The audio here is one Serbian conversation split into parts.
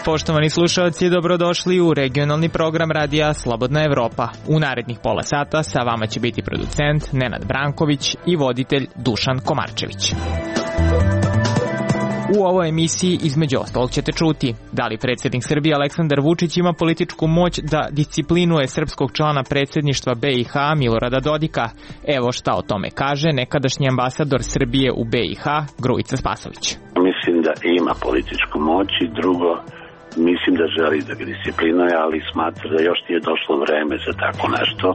Poštovani slušalci, dobrodošli u regionalni program radija Slobodna Evropa. U narednih pola sata sa vama će biti producent Nenad Branković i voditelj Dušan Komarčević. U ovoj emisiji između ostalog ćete čuti da li predsjednik Srbije Aleksandar Vučić ima političku moć da disciplinuje srpskog člana predsjedništva BiH Milorada Dodika. Evo šta o tome kaže nekadašnji ambasador Srbije u BiH Grujica Spasović. Mislim da ima političku moć i drugo, mislim da želi da ga disciplinuje, ali smatra da još nije došlo vreme za tako nešto.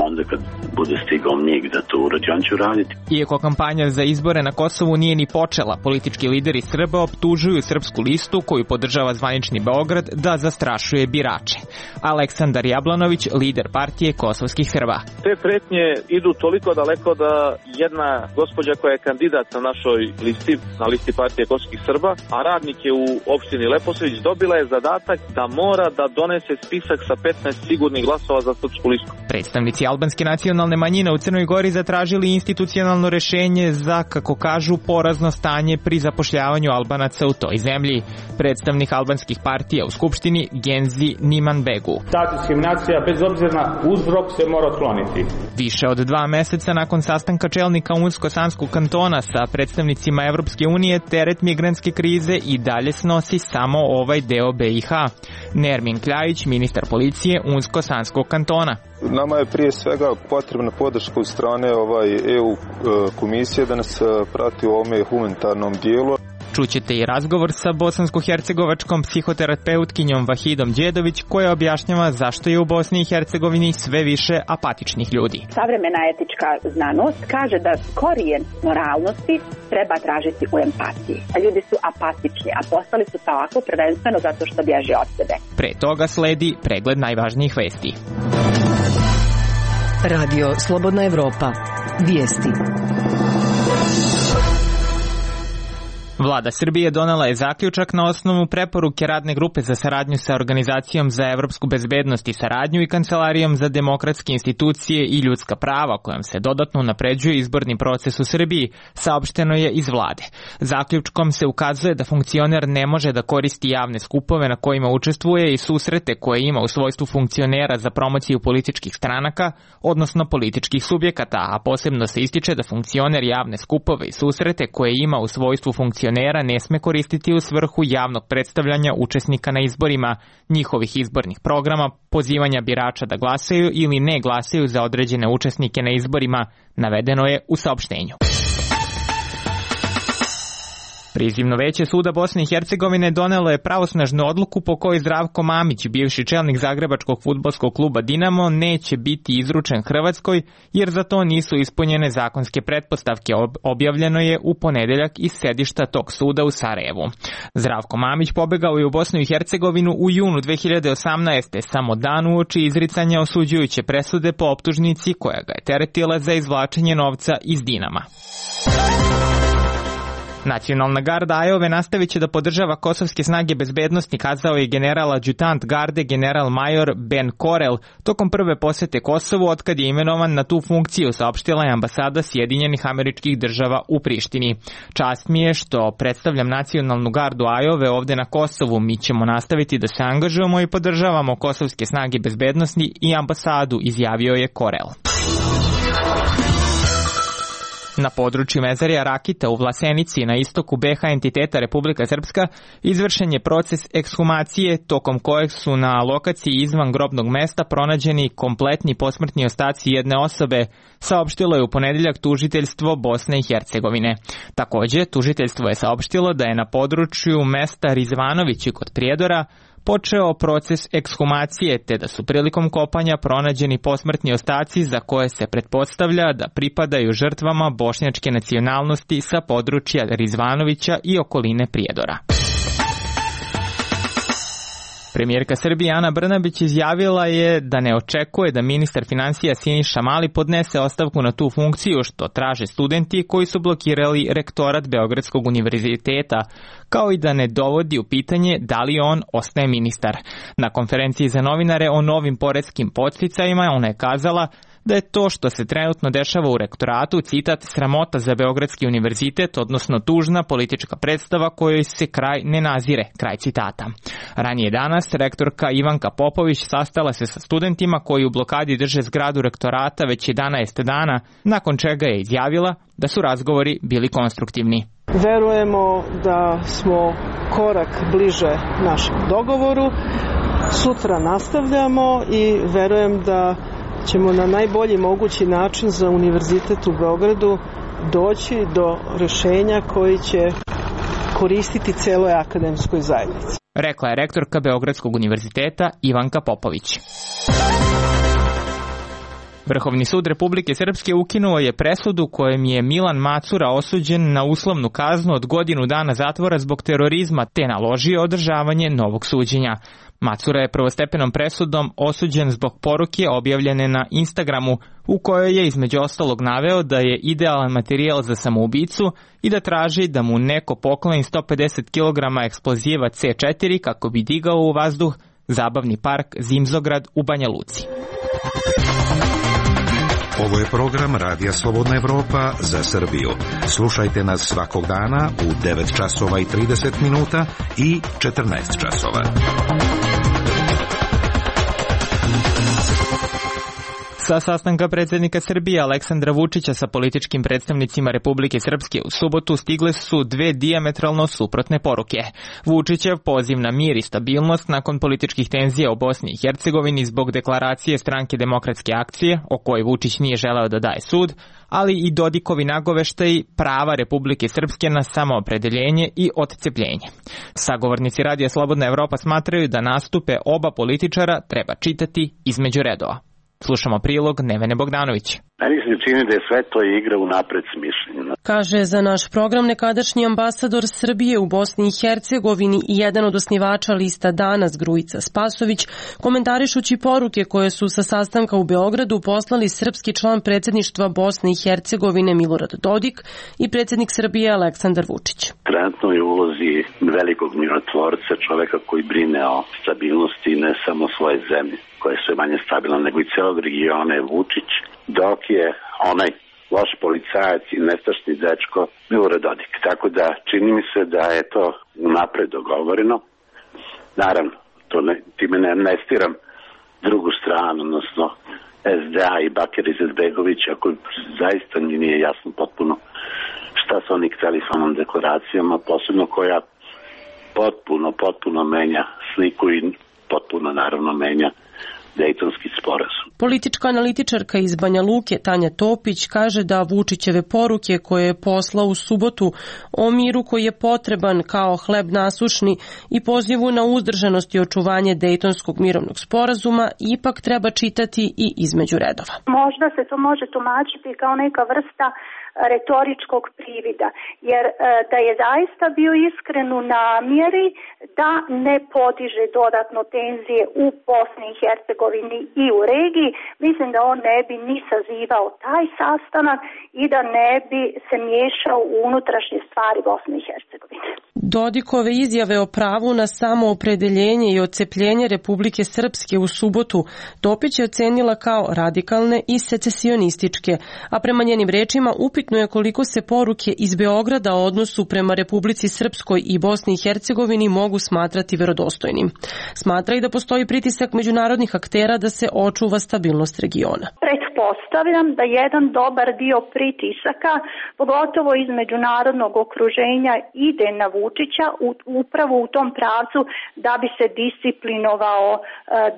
Onda kad bude stigao njih da to uradi, on će uraditi. Iako kampanja za izbore na Kosovu nije ni počela, politički lideri Srba optužuju Srpsku listu, koju podržava zvanični Beograd, da zastrašuje birače. Aleksandar Jablanović, lider partije kosovskih Srba. Te pretnje idu toliko daleko da jedna gospođa koja je kandidat na našoj listi, na listi partije kosovskih Srba, a radnik je u opštini Leposavić, dobila je zadatak da mora da donese spisak sa 15 sigurnih glasova za Srpsku listu. Predstavnici albanske nacionalne manjine u Crnoj Gori zatražili institucionalno rešenje za, kako kažu, porazno stanje pri zapošljavanju Albanaca u toj zemlji. Predstavnik albanskih partija u Skupštini Genzi Nimanbegu. Ta diskriminacija bez obzira na uzrok se mora otkloniti. Više od 2 meseca nakon sastanka čelnika Unsko-Sanskog kantona sa predstavnicima Evropske unije, teret migrantske krize i dalje snosi samo ovaj deo BiH. Nermin Kljajić, ministar policije Unsko-Sanskog kantona. Nama je prije svega potrebna podrška od strane EU komisije da nas prati u ovome humanitarnom dijelu. Čućete i razgovor sa bosansko-hercegovačkom psihoterapeutkinjom Vahidom Đedović, koja objašnjava zašto je u Bosni i Hercegovini sve više apatičnih ljudi. Savremena etička znanost kaže da korijen moralnosti treba tražiti u empatiji. A ljudi su apatični, a postali su tako prvenstveno zato što bježe od sebe. Pre toga sledi pregled najvažnijih vesti. Radio Slobodna Evropa. Vijesti. Vlada Srbije donela je zaključak na osnovu preporuke radne grupe za saradnju sa Organizacijom za evropsku bezbednost i saradnju i Kancelarijom za demokratske institucije i ljudska prava, kojom se dodatno unapređuje izborni proces u Srbiji, saopšteno je iz vlade. Zaključkom se ukazuje da funkcioner ne može da koristi javne skupove na kojima učestvuje i susrete koje ima u svojstvu funkcionera za promociju političkih stranaka, odnosno političkih subjekata, a posebno se ističe da funkcioner javne skupove i susrete koje ima u svojstvu funkcionera ne sme koristiti u svrhu javnog predstavljanja učesnika na izborima, njihovih izbornih programa, pozivanja birača da glasaju ili ne glasaju za određene učesnike na izborima, navedeno je u saopštenju. Prizivno veće suda Bosne i Hercegovine donelo je pravosnažnu odluku po kojoj Zdravko Mamić, bivši čelnik zagrebačkog fudbalskog kluba Dinamo, neće biti izručen Hrvatskoj jer za to nisu ispunjene zakonske pretpostavke, objavljeno je u ponedeljak iz sedišta tog suda u Sarajevu. Zdravko Mamić pobegao je u Bosnu i Hercegovinu u junu 2018. samo dan uoči izricanja osuđujuće presude po optužnici koja ga je teretila za izvlačenje novca iz Dinama. Nacionalna garda Ajove nastavit će da podržava kosovske snage bezbednosti, kazao je general adjutant garde general major Ben Korel tokom prve posete Kosovu otkad je imenovan na tu funkciju, saopštila je ambasada Sjedinjenih Američkih Država u Prištini. Čast mi je što predstavljam nacionalnu gardu Ajove ovde na Kosovu. Mi ćemo nastaviti da se angažujemo i podržavamo kosovske snage bezbednosti i ambasadu, izjavio je Korel. Na području Mezarija Rakita u Vlasenici na istoku BiH entiteta Republika Srpska izvršen je proces ekshumacije tokom kojeg su na lokaciji izvan grobnog mesta pronađeni kompletni posmrtni ostaci jedne osobe, saopštilo je u ponedeljak tužiteljstvo Bosne i Hercegovine. Također, tužiteljstvo je saopštilo da je na području mesta Rizvanovići kod Prijedora počeo proces ekshumacije, te da su prilikom kopanja pronađeni posmrtni ostaci za koje se pretpostavlja da pripadaju žrtvama bošnjačke nacionalnosti sa područja Rizvanovića i okoline Prijedora. Premijerka Srbije Ana Brnabić izjavila je da ne očekuje da ministar finansija Siniša Mali podnese ostavku na tu funkciju, što traže studenti koji su blokirali rektorat Beogradskog univerziteta, kao i da ne dovodi u pitanje da li on ostaje ministar. Na konferenciji za novinare o novim poreskim podsticajima ona je kazala da je to što se trenutno dešava u rektoratu, citat, sramota za Beogradski univerzitet, odnosno tužna politička predstava kojoj se kraj ne nazire, kraj citata. Ranije danas rektorka Ivanka Popović sastala se sa studentima koji u blokadi drže zgradu rektorata već 11 dana, nakon čega je izjavila da su razgovori bili konstruktivni. Verujemo da smo korak bliže našem dogovoru. Sutra nastavljamo i verujem da ćemo na najbolji mogući način za Univerzitet u Beogradu doći do rešenja koji će koristiti celoj akademskoj zajednici. Rekla je rektorka Beogradskog univerziteta Ivanka Popović. Vrhovni sud Republike Srpske ukinuo je presudu kojom je Milan Macura osuđen na uslovnu kaznu od godinu dana zatvora zbog terorizma te naložio održavanje novog suđenja. Macura je prvostepenom presudom osuđen zbog poruke objavljene na Instagramu u kojoj je između ostalog naveo da je idealan materijal za samoubicu i da traži da mu neko pokloni 150 kg eksploziva C4 kako bi digao u vazduh zabavni park Zimzograd u Banja Luci. Ovo je program Radija Slobodna Evropa za Srbiju. Slušajte nas svakog dana u 9 časova i 30 minuta i 14 časova. Sa sastanka predsjednika Srbije Aleksandra Vučića sa političkim predstavnicima Republike Srpske u subotu stigle su dve dijametralno suprotne poruke. Vučićev poziv na mir i stabilnost nakon političkih tenzija u Bosni i Hercegovini zbog deklaracije Stranke demokratske akcije, o kojoj Vučić nije želeo da daje sud, ali i Dodikovi nagoveštaji prava Republike Srpske na samoopredeljenje i odcepljenje. Sagovornici Radija Slobodna Evropa smatraju da nastupe oba političara treba čitati između redova. Slušamo prilog Nevene Bogdanović. Meni se čini da je sve to igra unapred smišljena. Kaže za naš program nekadašnji ambasador Srbije u Bosni i Hercegovini i jedan od osnivača lista Danas Grujica Spasović, komentarišući poruke koje su sa sastanka u Beogradu poslali srpski član predsjedništva Bosne i Hercegovine Milorad Dodik i predsjednik Srbije Aleksandar Vučić. Trenutno je u ulozi velikog mirotvorca, čoveka koji brine o stabilnosti ne samo svoje zemlje, koja je sve manje stabilna, nego i celog regiona je Vučić, dok je onaj loš policajac i nestašni dečko Milorad Dodik. Tako da čini mi se da je to unapred dogovoreno. Naravno, time ne stiram drugu stranu, odnosno SDA i Bakir Izetbegović, ako zaista mi nije jasno potpuno šta su oni hteli sa onom deklaracijama, posebno koja potpuno menja sliku i potpuno naravno menja Dejtonski sporazum. Politička analitičarka iz Banja Luke Tanja Topić kaže da Vučićeve poruke koje je poslao u subotu o miru koji je potreban kao hleb nasušni i pozivu na uzdržanost i očuvanje Dejtonskog mirovnog sporazuma ipak treba čitati i između redova. Možda se to može tumačiti kao neka vrsta retoričkog privida, jer da je zaista bio iskren u namjeri da ne podiže dodatno tenzije u Bosni i Hercegovini i u regiji, mislim da on ne bi ni sazivao taj sastanak i da ne bi se miješao u unutrašnje stvari Bosne i Hercegovine. Dodikove izjave o pravu na samoopredeljenje i odcepljenje Republike Srpske u subotu Topić je ocenila kao radikalne i secesionističke, a prema njenim rečima upitno je koliko se poruke iz Beograda o odnosu prema Republici Srpskoj i Bosni i Hercegovini mogu smatrati verodostojnim. Smatra i da postoji pritisak međunarodnih aktera da se očuva stabilnost regiona. Pretpostavljam da jedan dobar dio pritisaka, pogotovo iz međunarodnog okruženja, ide na Vučića upravo u tom pravcu da bi se disciplinovao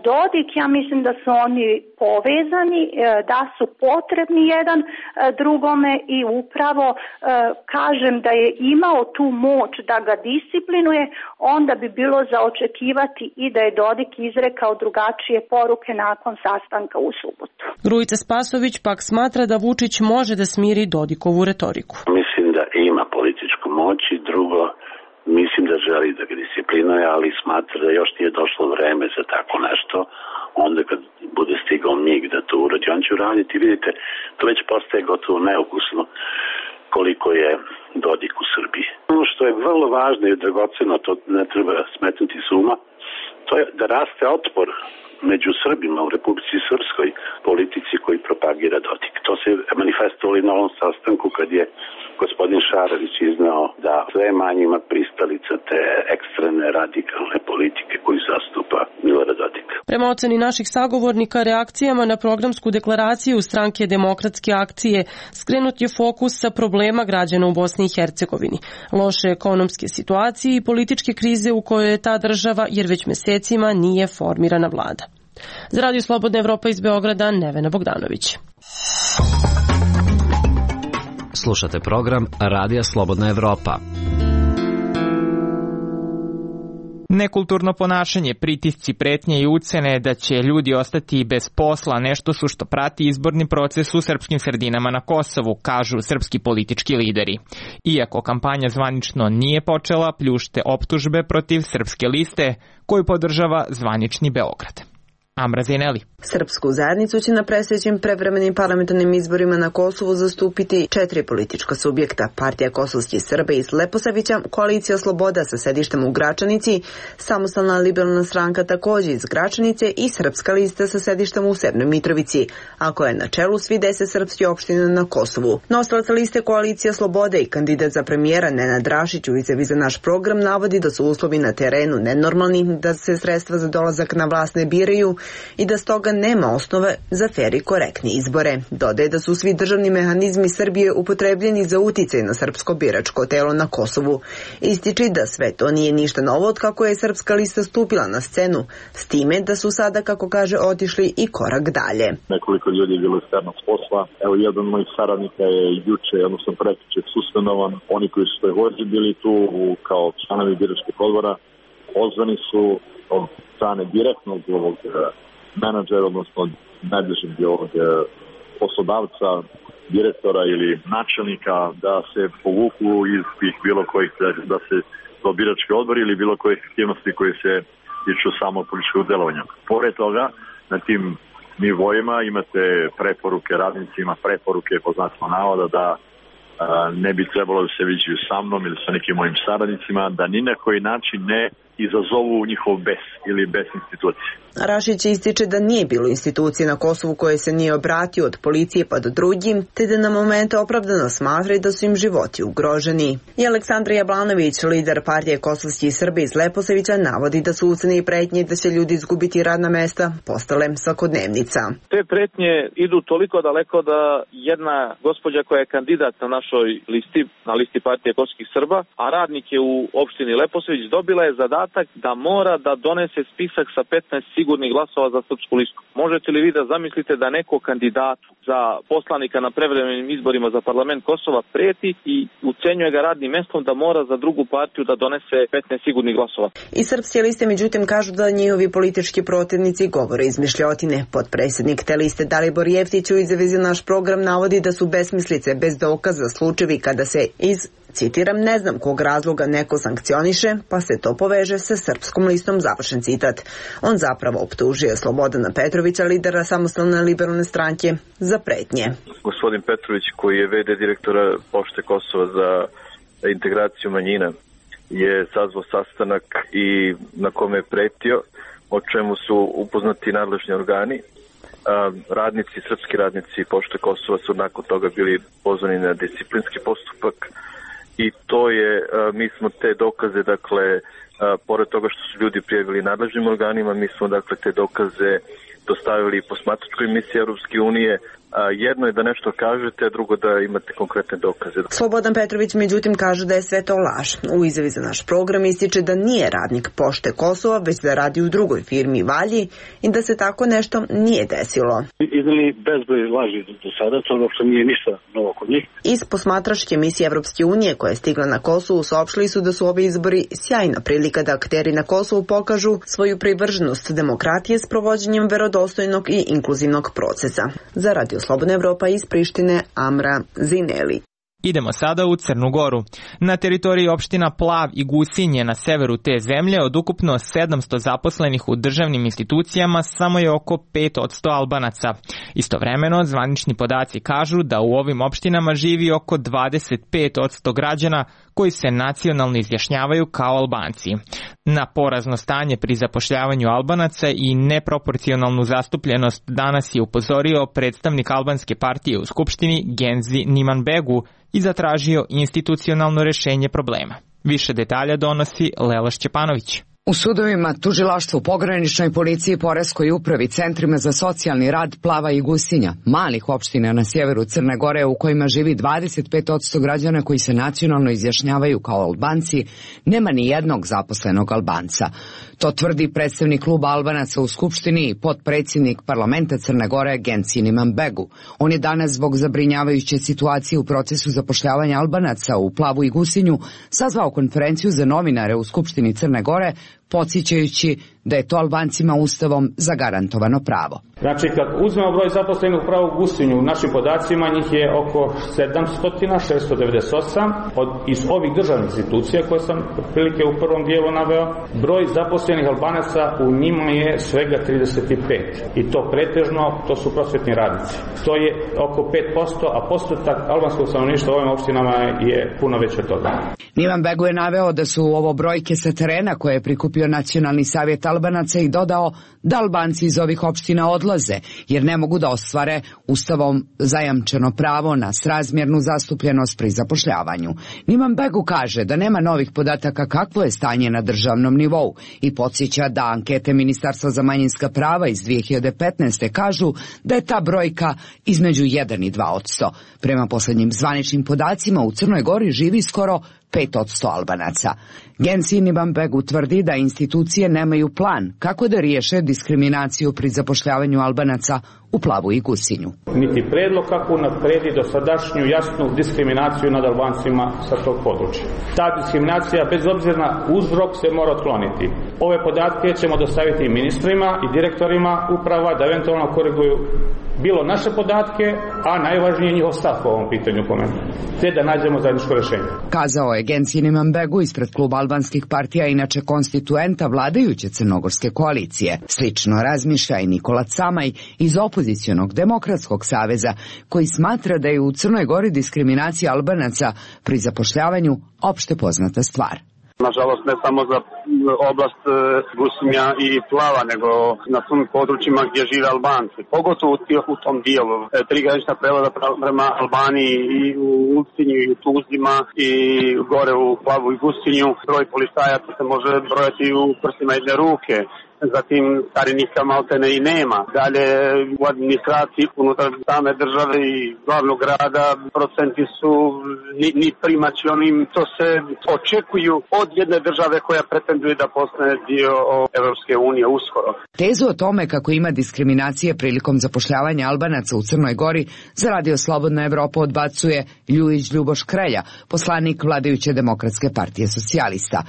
Dodik. Ja mislim da su oni povezani, da su potrebni jedan drugome i upravo kažem da je imao tu moć da ga disciplinuje, onda bi bilo za očekivati i da je Dodik izrekao drugačije poruke nakon sastanka u subotu. Grujica Spasović pak smatra da Vučić može da smiri Dodikovu retoriku. Mislim da ima političku moć i drugo, mislim da želi da ga disciplinuje, ali smatra da još nije došlo vreme za tako nešto. Onda kad bude stigao mig da to uradi, on će uraditi. Vidite, to već postaje gotovo neukusno koliko je Dodik u Srbiji. Ono što je vrlo važno i dragoceno, to ne treba smetnuti s uma, to je da raste otpor među Srbima u Republici Srpskoj politici koji propagira Dodik. To se manifestovalo i na ovom sastanku kad je gospodin Šarović iznao da sve manje ima pristalica te ekstremne radikalne politike koju zastupa Milorad Dodik. Prema oceni naših sagovornika, reakcijama na programsku deklaraciju Stranke demokratske akcije skrenut je fokus sa problema građana u Bosni i Hercegovini, loše ekonomske situacije i političke krize u kojoj je ta država jer već mesecima nije formirana vlada. Za Radio Slobodna Evropa iz Beograda, Nevena Bogdanović. Slušate program Radija Slobodna Evropa. Nekulturno ponašanje, pritisci, pretnje i ucene da će ljudi ostati bez posla nešto su što prati izborni proces u srpskim sredinama na Kosovu, kažu srpski politički lideri. Iako kampanja zvanično nije počela, pljušte optužbe protiv Srpske liste koju podržava zvanični Beograd. Amra Zineli. Srpsku zajednicu će na predstojećim prevremenim parlamentarnim izborima na Kosovu zastupiti 4 politička subjekta. Partija kosovskih Srba iz Leposavića, Koalicija Sloboda sa sedištem u Gračanici, Samostalna liberalna stranka takođe iz Gračanice i Srpska lista sa sedištem u Severnoj Mitrovici, a koja je na čelu svi 10 srpskih opština na Kosovu. Nosilac liste Koalicija Slobode i kandidat za premijera Nenad Rašić u izjavi za naš program navodi da su uslovi na terenu nenormalni, da se sredstva za dolazak na vlast ne biraju i da stoga nema osnove za fer i korektni izbore. Dodaje da su svi državni mehanizmi Srbije upotrebljeni za uticaj na srpsko biračko telo na Kosovu. Ističi da sve to nije ništa novo od kako je Srpska lista stupila na scenu, s time da su sada, kako kaže, otišli i korak dalje. Nekoliko ljudi je bilo isterno s posla. Evo, jedan od mojih saradnika je juče, odnosno prekjuče, suspenovan. Oni koji su takođe bili tu kao članovi biračkih odbora, pozvani su od strane direktnog ovog menadžera, odnosno najbližeg ovog poslodavca, direktora ili načelnika, da se povuku iz tih bilo kojih, da se to birački odbor ili bilo kojih aktivnosti koje se tiču samo političkog delovanja. Pored toga, na tim nivoima imate preporuke radnicima, preporuke po znacima navoda da ne bi trebalo da se viđaju sa mnom ili sa nekim mojim saradnicima, da ni na koji način ne izazovu njihov bes ili bes institucije. Rašić ističe da nije bilo institucije na Kosovu koje se nije obratio od policije pa do drugim, te da na momente opravdano smatraju da su im životi ugroženi. I Aleksandar Jablanović, lider partije kosovskih Srba iz Leposavića, navodi da su ucene i pretnje da će ljudi izgubiti radna mesta postale svakodnevnica. Te pretnje idu toliko daleko da jedna gospođa koja je kandidat na našoj listi, na listi partije kosovskih Srba, a radnik je u opštini Leposavić, dobila je zadatak da mora da donese spisak sa 15 sigurnih glasova za Srpsku listu. Možete li vi da zamislite da neko kandidatu za poslanika na prevremenim izborima za parlament Kosova preti i ucenjuje ga radnim mestom da mora za drugu partiju da donese 15 sigurnih glasova? I Srpske liste međutim kažu da njihovi politički protivnici govore izmišljotine. Potpredsjednik te liste Dalibor Jeftić u izjavi za naš program navodi da su besmislice bez dokaza slučajevi kada se citiram, ne znam kog razloga neko sankcioniše, pa se to poveže sa Srpskom listom, završen citat. On zapravo optužuje Slobodana Petrovića, lidera Samostalne liberalne stranke, za pretnje. Gospodin Petrović, koji je VD direktora Pošte Kosova za integraciju manjina, je sazvao sastanak i na kome je pretio, o čemu su upoznati nadležni organi. Radnici, srpski radnici Pošte Kosova su nakon toga bili pozvani na disciplinski postupak. I to je, mi smo te dokaze, dakle, pored toga što su ljudi prijavili nadležnim organima, mi smo, dakle, te dokaze dostavili posmatračkoj misiji Europske unije. Jedno je da nešto kažete, a drugo da imate konkretne dokaze. Slobodan Petrović međutim kaže da je sve to laž. U izjavi za naš program ističe da nije radnik Pošte Kosova, već da radi u drugoj firmi Valji i da se tako nešto nije desilo. Izneli bezbroj laži do sada, to uopšte nije ništa novo kod njih. Iz posmatračke misije Evropske unije koja je stigla na Kosovu saopštili su da su ovi izbori sjajna prilika da akteri na Kosovu pokažu svoju privrženost demokratije s provođenjem verodostojnog i inkluzivnog procesa. Za Radio Slobodna Evropa iz Prištine, Amra Zineli. Idemo sada u Crnu Goru. Na teritoriji opština Plav i Gusinje na severu te zemlje od ukupno 700 zaposlenih u državnim institucijama samo je oko 5% Albanaca. Istovremeno, zvanični podaci kažu da u ovim opštinama živi oko 25% građana koji se nacionalno izjašnjavaju kao Albanci. Na porazno stanje pri zapošljavanju Albanaca i neproporcionalnu zastupljenost danas je upozorio predstavnik albanske partije u Skupštini Genzi Nimanbegu i zatražio institucionalno rešenje problema. Više detalja donosi Lela Šćepanović. U sudovima, tužilaštvu, pograničnoj policiji, poreskoj upravi, centrima za socijalni rad Plava i Gusinja, malih opština na sjeveru Crne Gore u kojima živi 25% građana koji se nacionalno izjašnjavaju kao Albanci, nema ni jednog zaposlenog Albanca. To tvrdi predstavnik kluba Albanaca u Skupštini i potpredsjednik parlamenta Crne Gore Genci Nimanbegu. On je danas zbog zabrinjavajuće situacije u procesu zapošljavanja Albanaca u Plavu i Gusinju sazvao konferenciju za novinare u Skupštini Crne Gore, podsjećajući da je to Albancima ustavom zagarantovano pravo. Znači, kad uzmemo broj zaposlenih u Plavu Gusinju, u našim podacima njih je oko 700, 698. Iz ovih državnih institucija koje sam prilike u prvom dijelu naveo, broj zaposlenih Albanaca u njima je svega 35. I to pretežno, to su prosvetni radnici. To je oko 5%, a postotak albanskog stanovništva u ovim opštinama je puno veće od toga. Nimanbegu je naveo da su ovo brojke sa terena koje je prikupio Nacionalni savjet Albanaca i dodao da Albanci iz ovih opština odlaze jer ne mogu da ostvare ustavom zajamčeno pravo na srazmjernu zastupljenost pri zapošljavanju. Nimanbegu kaže da nema novih podataka kakvo je stanje na državnom nivou i podsjeća da ankete Ministarstva za manjinska prava iz 2015. kažu da je ta brojka između 1 i 2%. Prema posljednjim zvaničnim podacima u Crnoj Gori živi skoro 5% Albanaca. Genci Nimanbegu tvrdi da institucije nemaju plan kako da riješe diskriminaciju pri zapošljavanju Albanaca u Plavu i Gusinju. Niti predlog kako napredi dosadašnju jasnu diskriminaciju nad Albancima sa tog područja. Ta diskriminacija, bez obzira na uzrok, se mora otkloniti. Ove podatke ćemo dostaviti ministrima i direktorima uprava da eventualno koriguju bilo naše podatke, a najvažnije njihov stav po ovom pitanju po meni, te da nađemo zajedničko rješenje. Kazao je Genci Nimanbegu ispred kluba albanskih partija, inače konstituenta vladajuće crnogorske koalicije. Slično razmišlja i Nikola Camaj iz opozicionog Demokratskog saveza, koji smatra da je u Crnoj Gori diskriminacija Albanaca pri zapošljavanju opšte poznata stvar. Nažalost, ne samo za oblast Gusinja i Plava, nego na svim područjima gdje žive Albanci. Pogotovo u tom dijelu. 3 granična prelaza prema Albaniji i u Ulcinju i u Tuzima i gore u Plavu i Gusinju. Broj policajaca se može brojati u prstima jedne ruke. Zatim carinika maltene i nema. Dalje u administraciji unutar same države i glavnog grada procenti su ni primaći onim to se očekuju od jedne države koja pretenduje da postane dio Evropske unije uskoro. Tezu o tome kako ima diskriminacije prilikom zapošljavanja Albanaca u Crnoj Gori za Radio Slobodna Evropa odbacuje Ljujić Ljubo Škrelja, poslanik vladajuće Demokratske partije socijalista.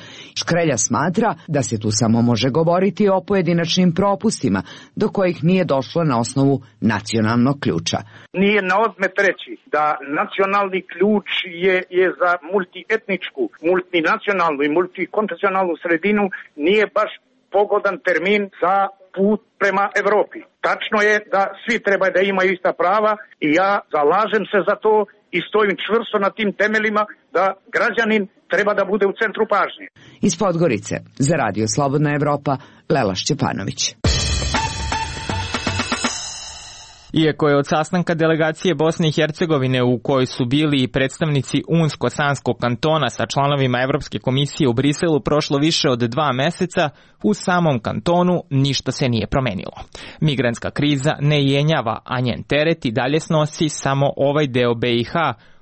Škrelja smatra da se tu samo može govoriti o pojedinačnim propustima do kojih nije došlo na osnovu nacionalnog ključa. Nije na odmet reći da nacionalni ključ je za multietničku, multinacionalnu i multikonfesionalnu sredinu nije baš pogodan termin za put prema Evropi. Tačno je da svi treba da imaju ista prava i ja zalažem se za to i stojim čvrsto na tim temeljima da građanin treba da bude u centru pažnje. Iz Podgorice, za Radio Slobodna Evropa, Lela Šćepanović. Iako je od sastanka delegacije Bosne i Hercegovine u kojoj su bili i predstavnici Unsko-Sanskog kantona sa članovima Evropske komisije u Briselu prošlo više od 2 meseca, u samom kantonu ništa se nije promenilo. Migrantska kriza ne jenjava, a njen teret i dalje snosi samo ovaj deo BiH,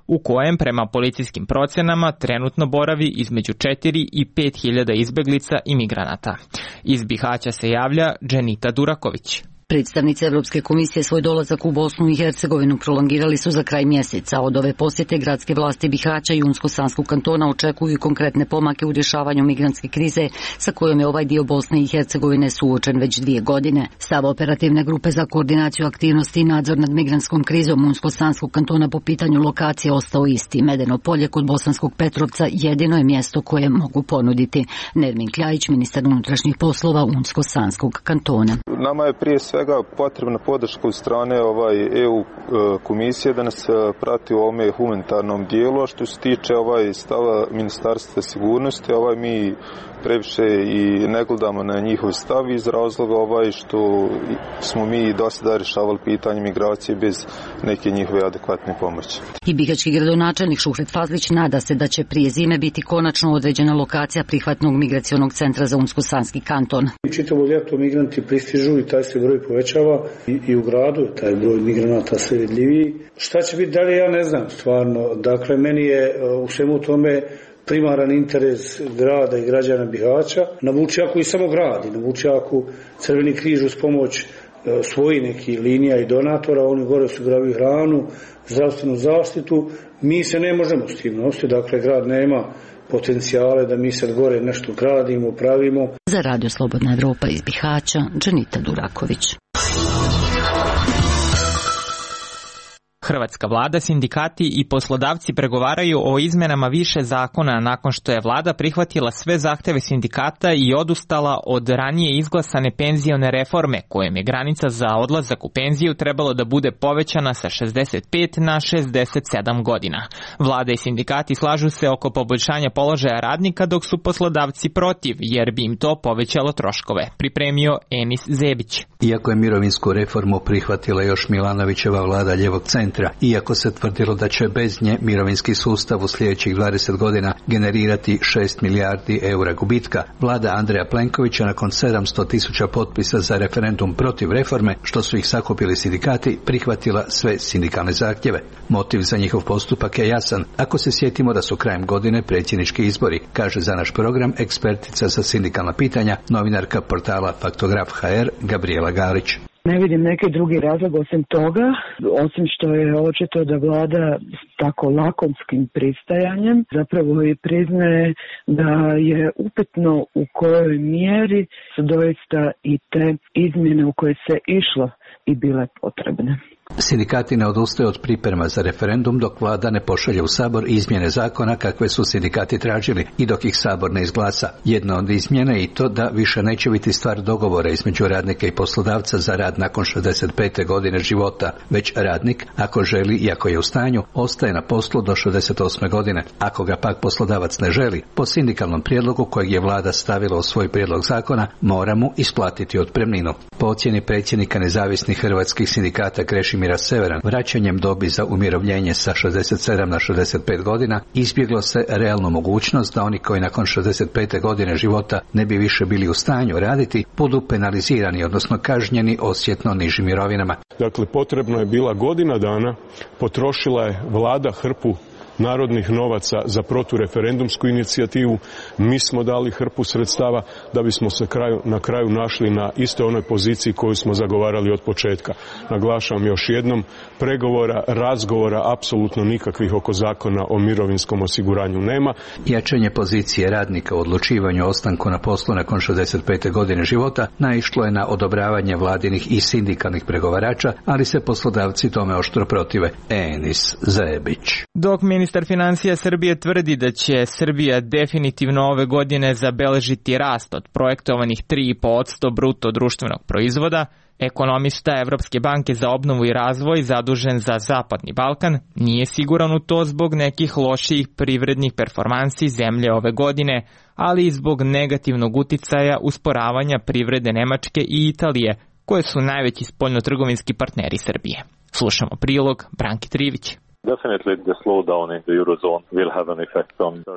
u kojem prema policijskim procenama trenutno boravi između 4 i 5 hiljada izbeglica i migranata. Iz Bihaća se javlja Dženita Duraković. Predstavnici Evropske komisije svoj dolazak u Bosnu i Hercegovinu prolongirali su za kraj mjeseca. Od ove posjete gradske vlasti Bihaća i Unsko-Sanskog kantona očekuju konkretne pomake u rješavanju migrantske krize sa kojom je ovaj dio Bosne i Hercegovine suočen već 2 godine. Stav operativne grupe za koordinaciju aktivnosti i nadzor nad migrantskom krizom Unsko-Sanskog kantona po pitanju lokacije ostao isti. Medeno polje kod Bosanskog Petrovca jedino je mjesto koje mogu ponuditi. Nermin Kljajić, ministar unutrašnjih poslova Unsko-Sanskog kantona. Nama je prije svega potrebna podrška od strane EU komisije da nas prati u ovome humanitarnom dijelu, a što se tiče stava Ministarstva sigurnosti, mi previše i ne gledamo na njihov stav iz razloga što smo mi do sada rješavali pitanje migracije bez neke njihove adekvatne pomoći. I bihaćki gradonačelnik Šuhret Fazlić nada se da će prije zime biti konačno određena lokacija prihvatnog migracionog centra za Unsko-Sanski kanton. Čitavo ljeto migranti pristižu i taj se broj povećava i u gradu taj broj migranata sve vidljiviji. Šta će biti dalje, ja ne znam stvarno. Dakle, meni je u svemu tome primaran interes grada i građana Bihaća. Na Vučjaku i samo gradi. Na Vučjaku Crveni križ uz pomoć svojih nekih linija i donatora, oni gore osiguravaju hranu, zdravstvenu zaštitu. Mi se ne možemo s tim nositi, dakle grad nema potencijale da mi sad gore nešto gradimo, pravimo. Za Radio Slobodna Evropa iz Bihaća, Dženita Duraković. Hrvatska vlada, sindikati i poslodavci pregovaraju o izmenama više zakona nakon što je vlada prihvatila sve zahteve sindikata i odustala od ranije izglasane penzione reforme, kojem je granica za odlazak u penziju trebalo da bude povećana sa 65 na 67 godina. Vlada i sindikati slažu se oko poboljšanja položaja radnika, dok su poslodavci protiv, jer bi im to povećalo troškove. Pripremio Enis Zebić. Iako je mirovinsku reformu prihvatila još Milanovićeva vlada ljevog centra, iako se tvrdilo da će bez nje mirovinski sustav u sljedećih 20 godina generirati 6 milijardi eura gubitka, vlada Andreja Plenkovića nakon 700.000 potpisa za referendum protiv reforme, što su ih sakupili sindikati, prihvatila sve sindikalne zahtjeve. Motiv za njihov postupak je jasan, ako se sjetimo da su krajem godine predsjednički izbori, kaže za naš program ekspertica za sindikalna pitanja, novinarka portala Faktograf HR Gabriela Galić. Ne vidim neki drugi razlog osim toga, osim što je očito da vlada s tako lakonskim pristajanjem zapravo i priznaje da je upitno u kojoj mjeri su doista i te izmjene u koje se išlo i bile potrebne. Sindikati ne odustaju od priprema za referendum dok vlada ne pošalje u Sabor izmjene zakona kakve su sindikati tražili i dok ih Sabor ne izglasa. Jedna od izmjena je i to da više neće biti stvar dogovora između radnika i poslodavca za rad nakon 65. godine života, već radnik, ako želi i ako je u stanju, ostaje na poslu do 68. godine. Ako ga pak poslodavac ne želi, po sindikalnom prijedlogu kojeg je vlada stavila u svoj prijedlog zakona, mora mu isplatiti otpremninu. Po ocjeni predsjednika nezavisnih hrvatskih sindikata Krešimira Severan, vraćanjem dobi za umirovljenje sa 67 na 65 godina izbjeglo se realnu mogućnost da oni koji nakon 65. godine života ne bi više bili u stanju raditi budu penalizirani, odnosno kažnjeni osjetno nižim mirovinama. Dakle, potrebno je bila godina dana, potrošila je vlada hrpu narodnih novaca za protureferendumsku inicijativu, mi smo dali hrpu sredstava da bismo se na kraju našli na istoj onoj poziciji koju smo zagovarali od početka. Naglašavam još jednom, pregovora, razgovora apsolutno nikakvih oko zakona o mirovinskom osiguranju nema. Jačanje pozicije radnika u odlučivanju o ostanku na poslu nakon 65. godine života naišlo je na odobravanje vladinih i sindikalnih pregovarača, ali se poslodavci tome oštro protive. Enis Zebić. Dok ministar financija Srbije tvrdi da će Srbija definitivno ove godine zabeležiti rast od projektovanih 3,5% bruto društvenog proizvoda, ekonomista Evropske banke za obnovu i razvoj zadužen za Zapadni Balkan nije siguran u to zbog nekih loših privrednih performansi zemlje ove godine, ali i zbog negativnog uticaja usporavanja privrede Nemačke i Italije, koje su najveći spoljnotrgovinski partneri Srbije. Slušamo prilog Branki Trivić.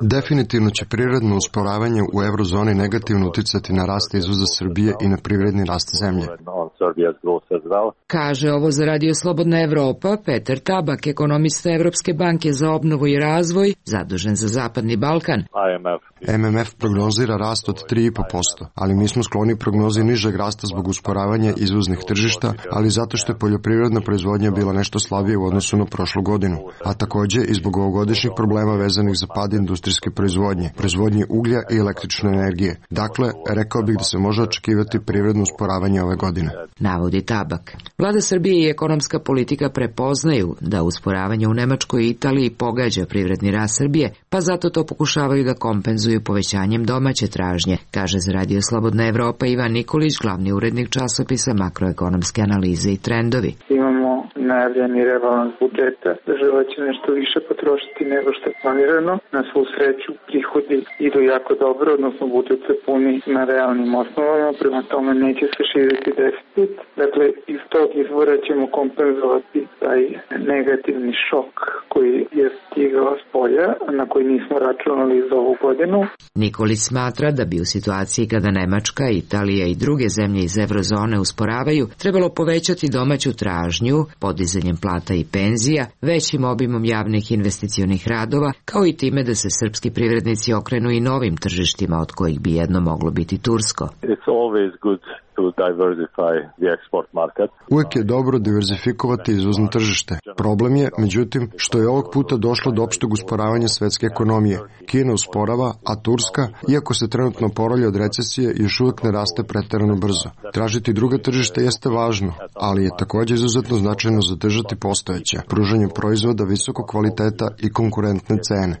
Definitivno će prirodno usporavanje u eurozoni negativno uticati na rast izvoza Srbije i na privredni rast zemlje. Kaže ovo za Radio Slobodna Evropa Petar Tabak, ekonomista Evropske banke za obnovu i razvoj, zadužen za Zapadni Balkan. MMF prognozira rast od 3,5%, ali mi smo skloni prognozi nižeg rasta zbog usporavanja izvoznih tržišta, ali zato što je poljoprivredna proizvodnja bila nešto slabije u odnosu na prošlu godinu. godinu, a takođe i zbog ovogodišnjih problema vezanih za pad industrijske proizvodnje uglja i električne energije. Dakle, rekao bih da se može očekivati privredno usporavanje ove godine. Navodi Tabak. Vlada Srbije i ekonomska politika prepoznaju da usporavanje u Nemačkoj i Italiji pogađa privredni rast Srbije, pa zato to pokušavaju da kompenzuju povećanjem domaće tražnje, kaže za Radio Slobodna Evropa Ivan Nikolić, glavni urednik časopisa Makroekonomske analize i trendovi. Imamo najavljeni rebalans budžeta. Država će nešto više potrošiti nego što je planirano. Na svu sreću prihodi idu jako dobro, odnosno budžet se puni na realnim osnovama, prema tome neće se širiti deficit. Dakle, iz tog izvora ćemo kompenzovati taj negativni šok koji je stigao s polja, na koji nismo računali za ovu godinu. Nikolić smatra da bi u situaciji kada Nemačka, Italija i druge zemlje iz eurozone usporavaju, trebalo povećati domaću tražnju, podizanjem plata i penzija, većim obimom javnih investicionih radova, kao i time da se srpski privrednici okrenu i novim tržištima, od kojih bi jedno moglo biti tursko. Uvijek je dobro diverzifikovati izvozno tržište. Problem je, međutim, što je ovog puta došlo do opšteg usporavanja svetske ekonomije. Kina usporava, a Turska, iako se trenutno oporavlja od recesije, još uvijek ne raste preterano brzo. Tražiti druga tržišta jeste važno, ali je također izuzetno značajno zadržati postojeća, pružanjem proizvoda visokog kvaliteta i konkurentne cene.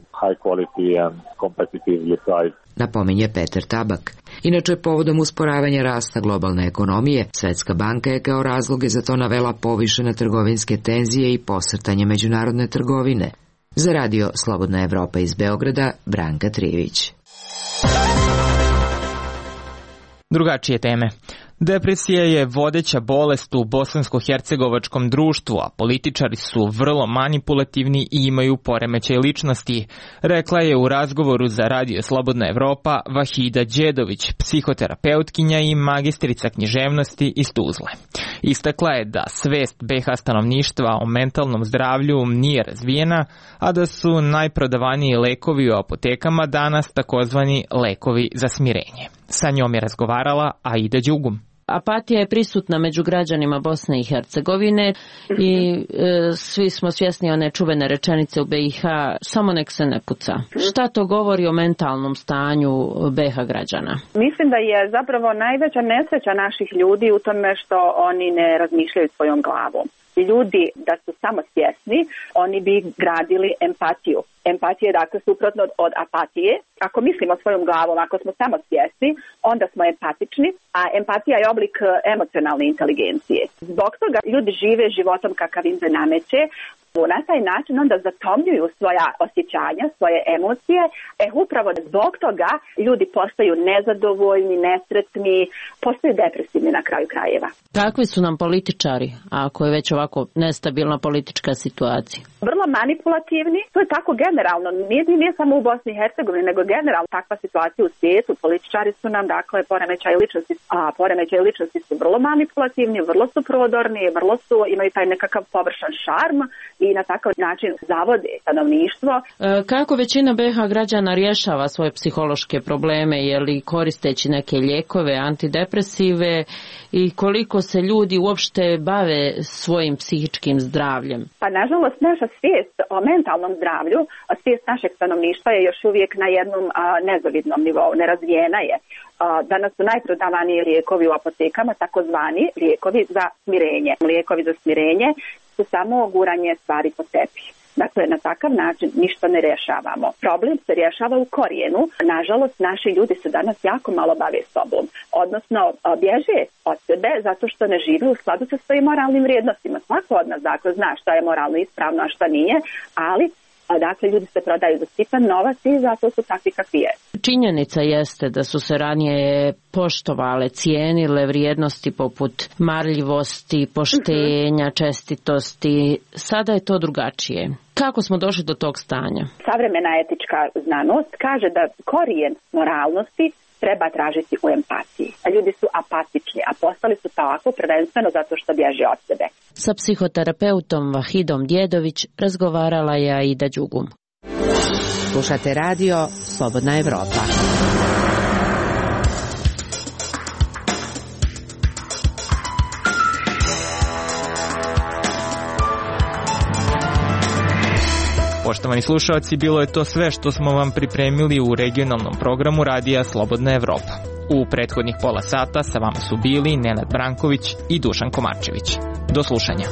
Napominje Peter Tabak. Inače, povodom usporavanja rasta globalne ekonomije, Svetska banka je kao razloge za to navela povišene trgovinske tenzije i posrtanje međunarodne trgovine. Za Radio Slobodna Evropa iz Beograda, Branka Trivić. Drugačije teme. Depresija je vodeća bolest u bosansko-hercegovačkom društvu, a političari su vrlo manipulativni i imaju poremećaj ličnosti, rekla je u razgovoru za Radio Slobodna Evropa Vahida Đedović, psihoterapeutkinja i magistrica književnosti iz Tuzle. Istakla je da svest BiH stanovništva o mentalnom zdravlju nije razvijena, a da su najprodavaniji lekovi u apotekama danas takozvani lekovi za smirenje. Sa njom je razgovarala Aida Đugum. Apatija je prisutna među građanima Bosne i Hercegovine i svi smo svjesni one čuvene rečenice u BiH, samo nek se ne puca. Šta to govori o mentalnom stanju BiH građana? Mislim da je zapravo najveća nesreća naših ljudi u tome što oni ne razmišljaju svojom glavom. Ljudi da su samo svjesni, oni bi gradili empatiju. Empatija je dakle suprotno od apatije. Ako mislimo svojom glavom, ako smo samo svjesni, onda smo empatični, a empatija je oblik emocionalne inteligencije. Zbog toga ljudi žive životom kakav im se nameće, na taj način onda zatomljuju svoja osjećanja, svoje emocije, upravo zbog toga ljudi postaju nezadovoljni, nesretni, postaju depresivni na kraju krajeva. Kakvi su nam političari, ako je već ovako nestabilna politička situacija? Vrlo manipulativni, to je tako generalno, nije samo u Bosni i Hercegovini, nego generalno takva situacija u svijetu. Političari su nam, dakle, poremećaj ličnosti su vrlo manipulativni, vrlo su prodorni, imaju taj nekakav površan šarm i na takav način zavode stanovništvo. Kako većina BiH građana rješava svoje psihološke probleme, je li koristeći neke lijekove, antidepresive i koliko se ljudi uopšte bave svojim psihičkim zdravljem? Pa nažalost naša svijest o mentalnom zdravlju, svijest našeg stanovništva je još uvijek na jednom nezavidnom nivou, nerazvijena je. Danas su najprodavaniji lijekovi u apotekama, takozvani lijekovi za smirenje. Lijekovi za smirenje su samo guranje stvari po tepih. Dakle, na takav način ništa ne rješavamo. Problem se rješava u korijenu. Nažalost, naši ljudi se danas jako malo bave sobom. Odnosno, bježe od sebe zato što ne žive u skladu sa svojim moralnim vrijednostima. Svako od nas dakle zna šta je moralno ispravno, a šta nije, ali dakle, ljudi se prodaju za sitan novac i zato su takvi kakvi je. Činjenica jeste da su se ranije poštovale, cijenile vrijednosti poput marljivosti, poštenja, čestitosti. Sada je to drugačije. Kako smo došli do tog stanja? Savremena etička znanost kaže da korijen moralnosti treba tražiti u empatiji. A ljudi su apatični, a postali su tako prvenstveno zato što bježe od sebe. Sa psihoterapeutom Vahidom Djedović razgovarala je Aida Đugum. Slušate radio Slobodna Evropa. Poštovani slušalci, bilo je to sve što smo vam pripremili u regionalnom programu Radija Slobodna Evropa. U prethodnih pola sata sa vama su bili Nenad Branković i Dušan Komarčević. Do slušanja.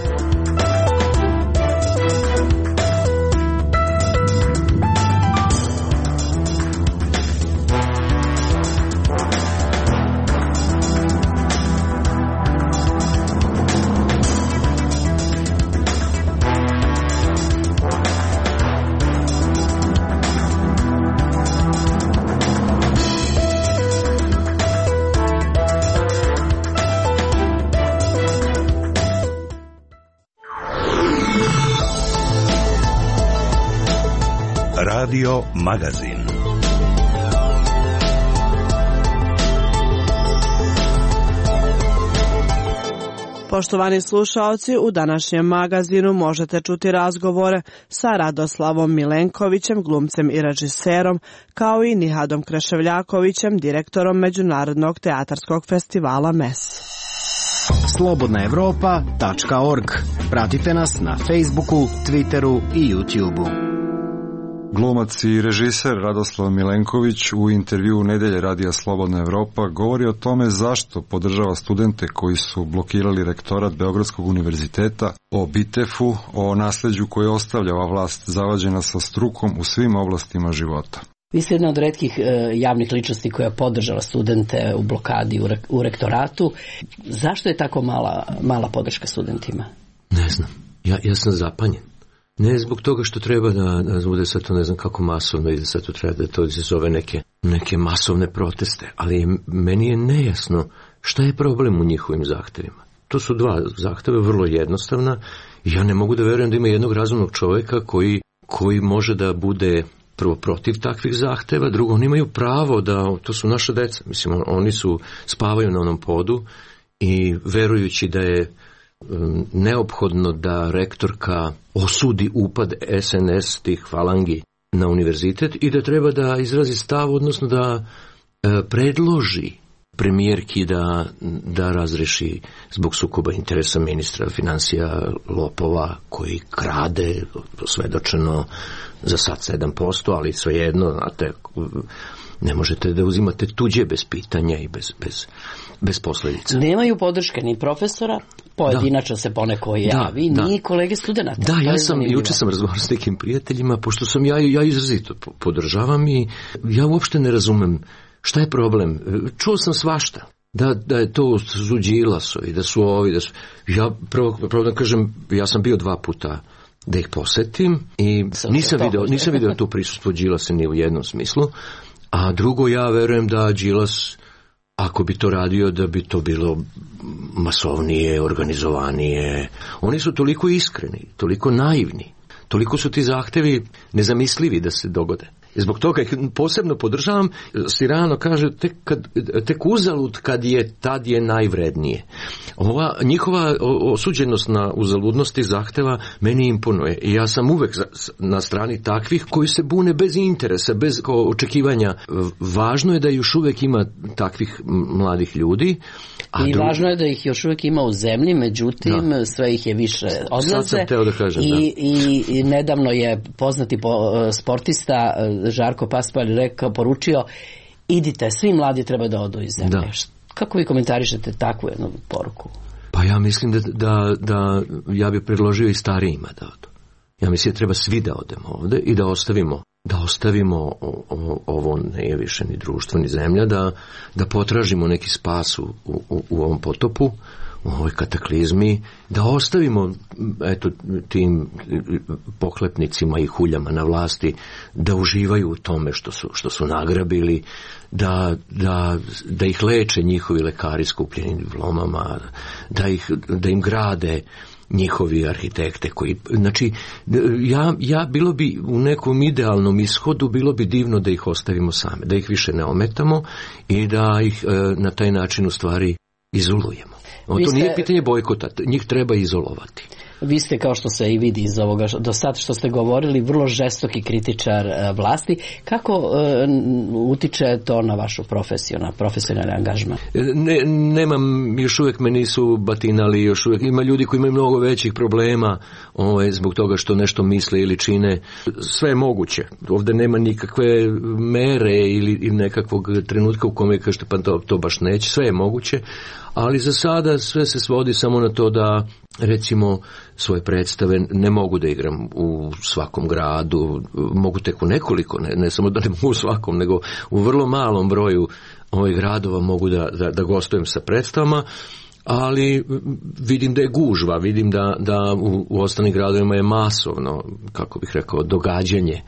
Radio Magazin. Poštovani slušaoci, u današnjem magazinu možete čuti razgovore sa Radoslavom Milenkovićem, glumcem i režiserom, kao i Nihadom Kreševljakovićem, direktorom Međunarodnog teatarskog festivala MES. slobodnaevropa.org. Pratite nas na Facebooku, Twitteru i YouTubeu. Glumac i režiser Radoslav Milenković u intervjuu Nedelje Radija Slobodna Evropa govori o tome zašto podržava studente koji su blokirali rektorat Beogradskog univerziteta, o BITEF-u, o nasleđu koje ostavlja ova vlast zavađena sa strukom u svim oblastima života. Vi ste jedna od retkih javnih ličnosti koja je podržala studente u blokadi u rektoratu. Zašto je tako mala podrška studentima? Ne znam. Ja sam zapanjen. Ne zbog toga što treba da bude sad to ne znam kako masovno i da sad to treba da to izazove neke masovne proteste, ali meni je nejasno šta je problem u njihovim zahtevima. To su dva zahteva, vrlo jednostavna, i ja ne mogu da verujem da ima jednog razumnog čoveka koji može da bude prvo protiv takvih zahteva, drugo, oni imaju pravo da, to su naša deca, mislim, oni spavaju na onom podu i verujući da je neophodno da rektorka osudi upad SNS tih falangi na univerzitet i da treba da izrazi stav, odnosno da predloži premijerki da razreši zbog sukoba interesa ministra financija lopova koji krade svedočeno za sad 7%, ali svejedno, znate, ne možete da uzimate tuđe bez pitanja i bez posledica. Nemaju podrške ni profesora, pojedinačno se poneko javi, ni kolege studenata. Da, juče sam razgovarao s nekim prijateljima, pošto sam ja izrazito podržavam i ja uopšte ne razumem šta je problem. Čuo sam svašta. Da je to su Đilasovi, da su ovi, ja prvo da kažem, ja sam bio 2 puta da ih posetim i nisam video tu prisustvo Đilasa ni u jednom smislu, a drugo, ja verujem da Đilas, ako bi to radio, da bi to bilo masovnije, organizovanije. Oni su toliko iskreni, toliko naivni, toliko su ti zahtevi nezamislivi da se dogode. Zbog toga ih posebno podržavam. Sirano kaže tek uzalud tad je najvrednije. Ova njihova osuđenost na uzaludnosti zahteva meni imponuje. I ja sam uvek na strani takvih koji se bune bez interesa, bez očekivanja. Važno je da još uvek ima takvih mladih ljudi. Važno je da ih još uvek ima u zemlji, međutim sve ih je više odlaze. Sad sam teo da kažem, I nedavno je poznati sportista Žarko Paspalj poručio, idite, svi mladi treba da odu iz zemlje. Kako vi komentarišete takvu jednu poruku? Pa ja mislim da ja bih predložio i starijima da odu. Ja mislim da treba svi da odemo ovde i da ostavimo ovo nije više ni društvo ni zemlja, da potražimo neki spas u ovom potopu, u ovoj kataklizmi, da ostavimo tim pohlepnicima i huljama na vlasti da uživaju u tome što su nagrabili, da ih leče njihovi lekari skupljenim diplomama, da im grade njihovi arhitekte koji, znači, ja bilo bi u nekom idealnom ishodu, bilo bi divno da ih ostavimo same, da ih više ne ometamo i da ih na taj način u stvari izolujemo. To nije pitanje bojkota, njih treba izolovati. Vi ste, kao što se i vidi iz ovoga do sad što ste govorili, vrlo žestoki kritičar vlasti. Kako utiče to na vašu profesiju, na profesionalni angažman? Nemam, još uvijek me nisu batinali, još uvijek ima ljudi koji imaju mnogo većih problema zbog toga što nešto misle ili čine. Sve je moguće. Ovdje nema nikakve mere ili nekakvog trenutka u kome kažete pa to baš neće. Sve je moguće, ali za sada sve se svodi samo na to da recimo svoje predstave ne mogu da igram u svakom gradu, mogu tek u nekoliko, ne samo da ne mogu u svakom, nego u vrlo malom broju ovih gradova mogu da gostujem sa predstavama, ali vidim da je gužva, vidim da u ostalim gradovima je masovno, kako bih rekao, događanje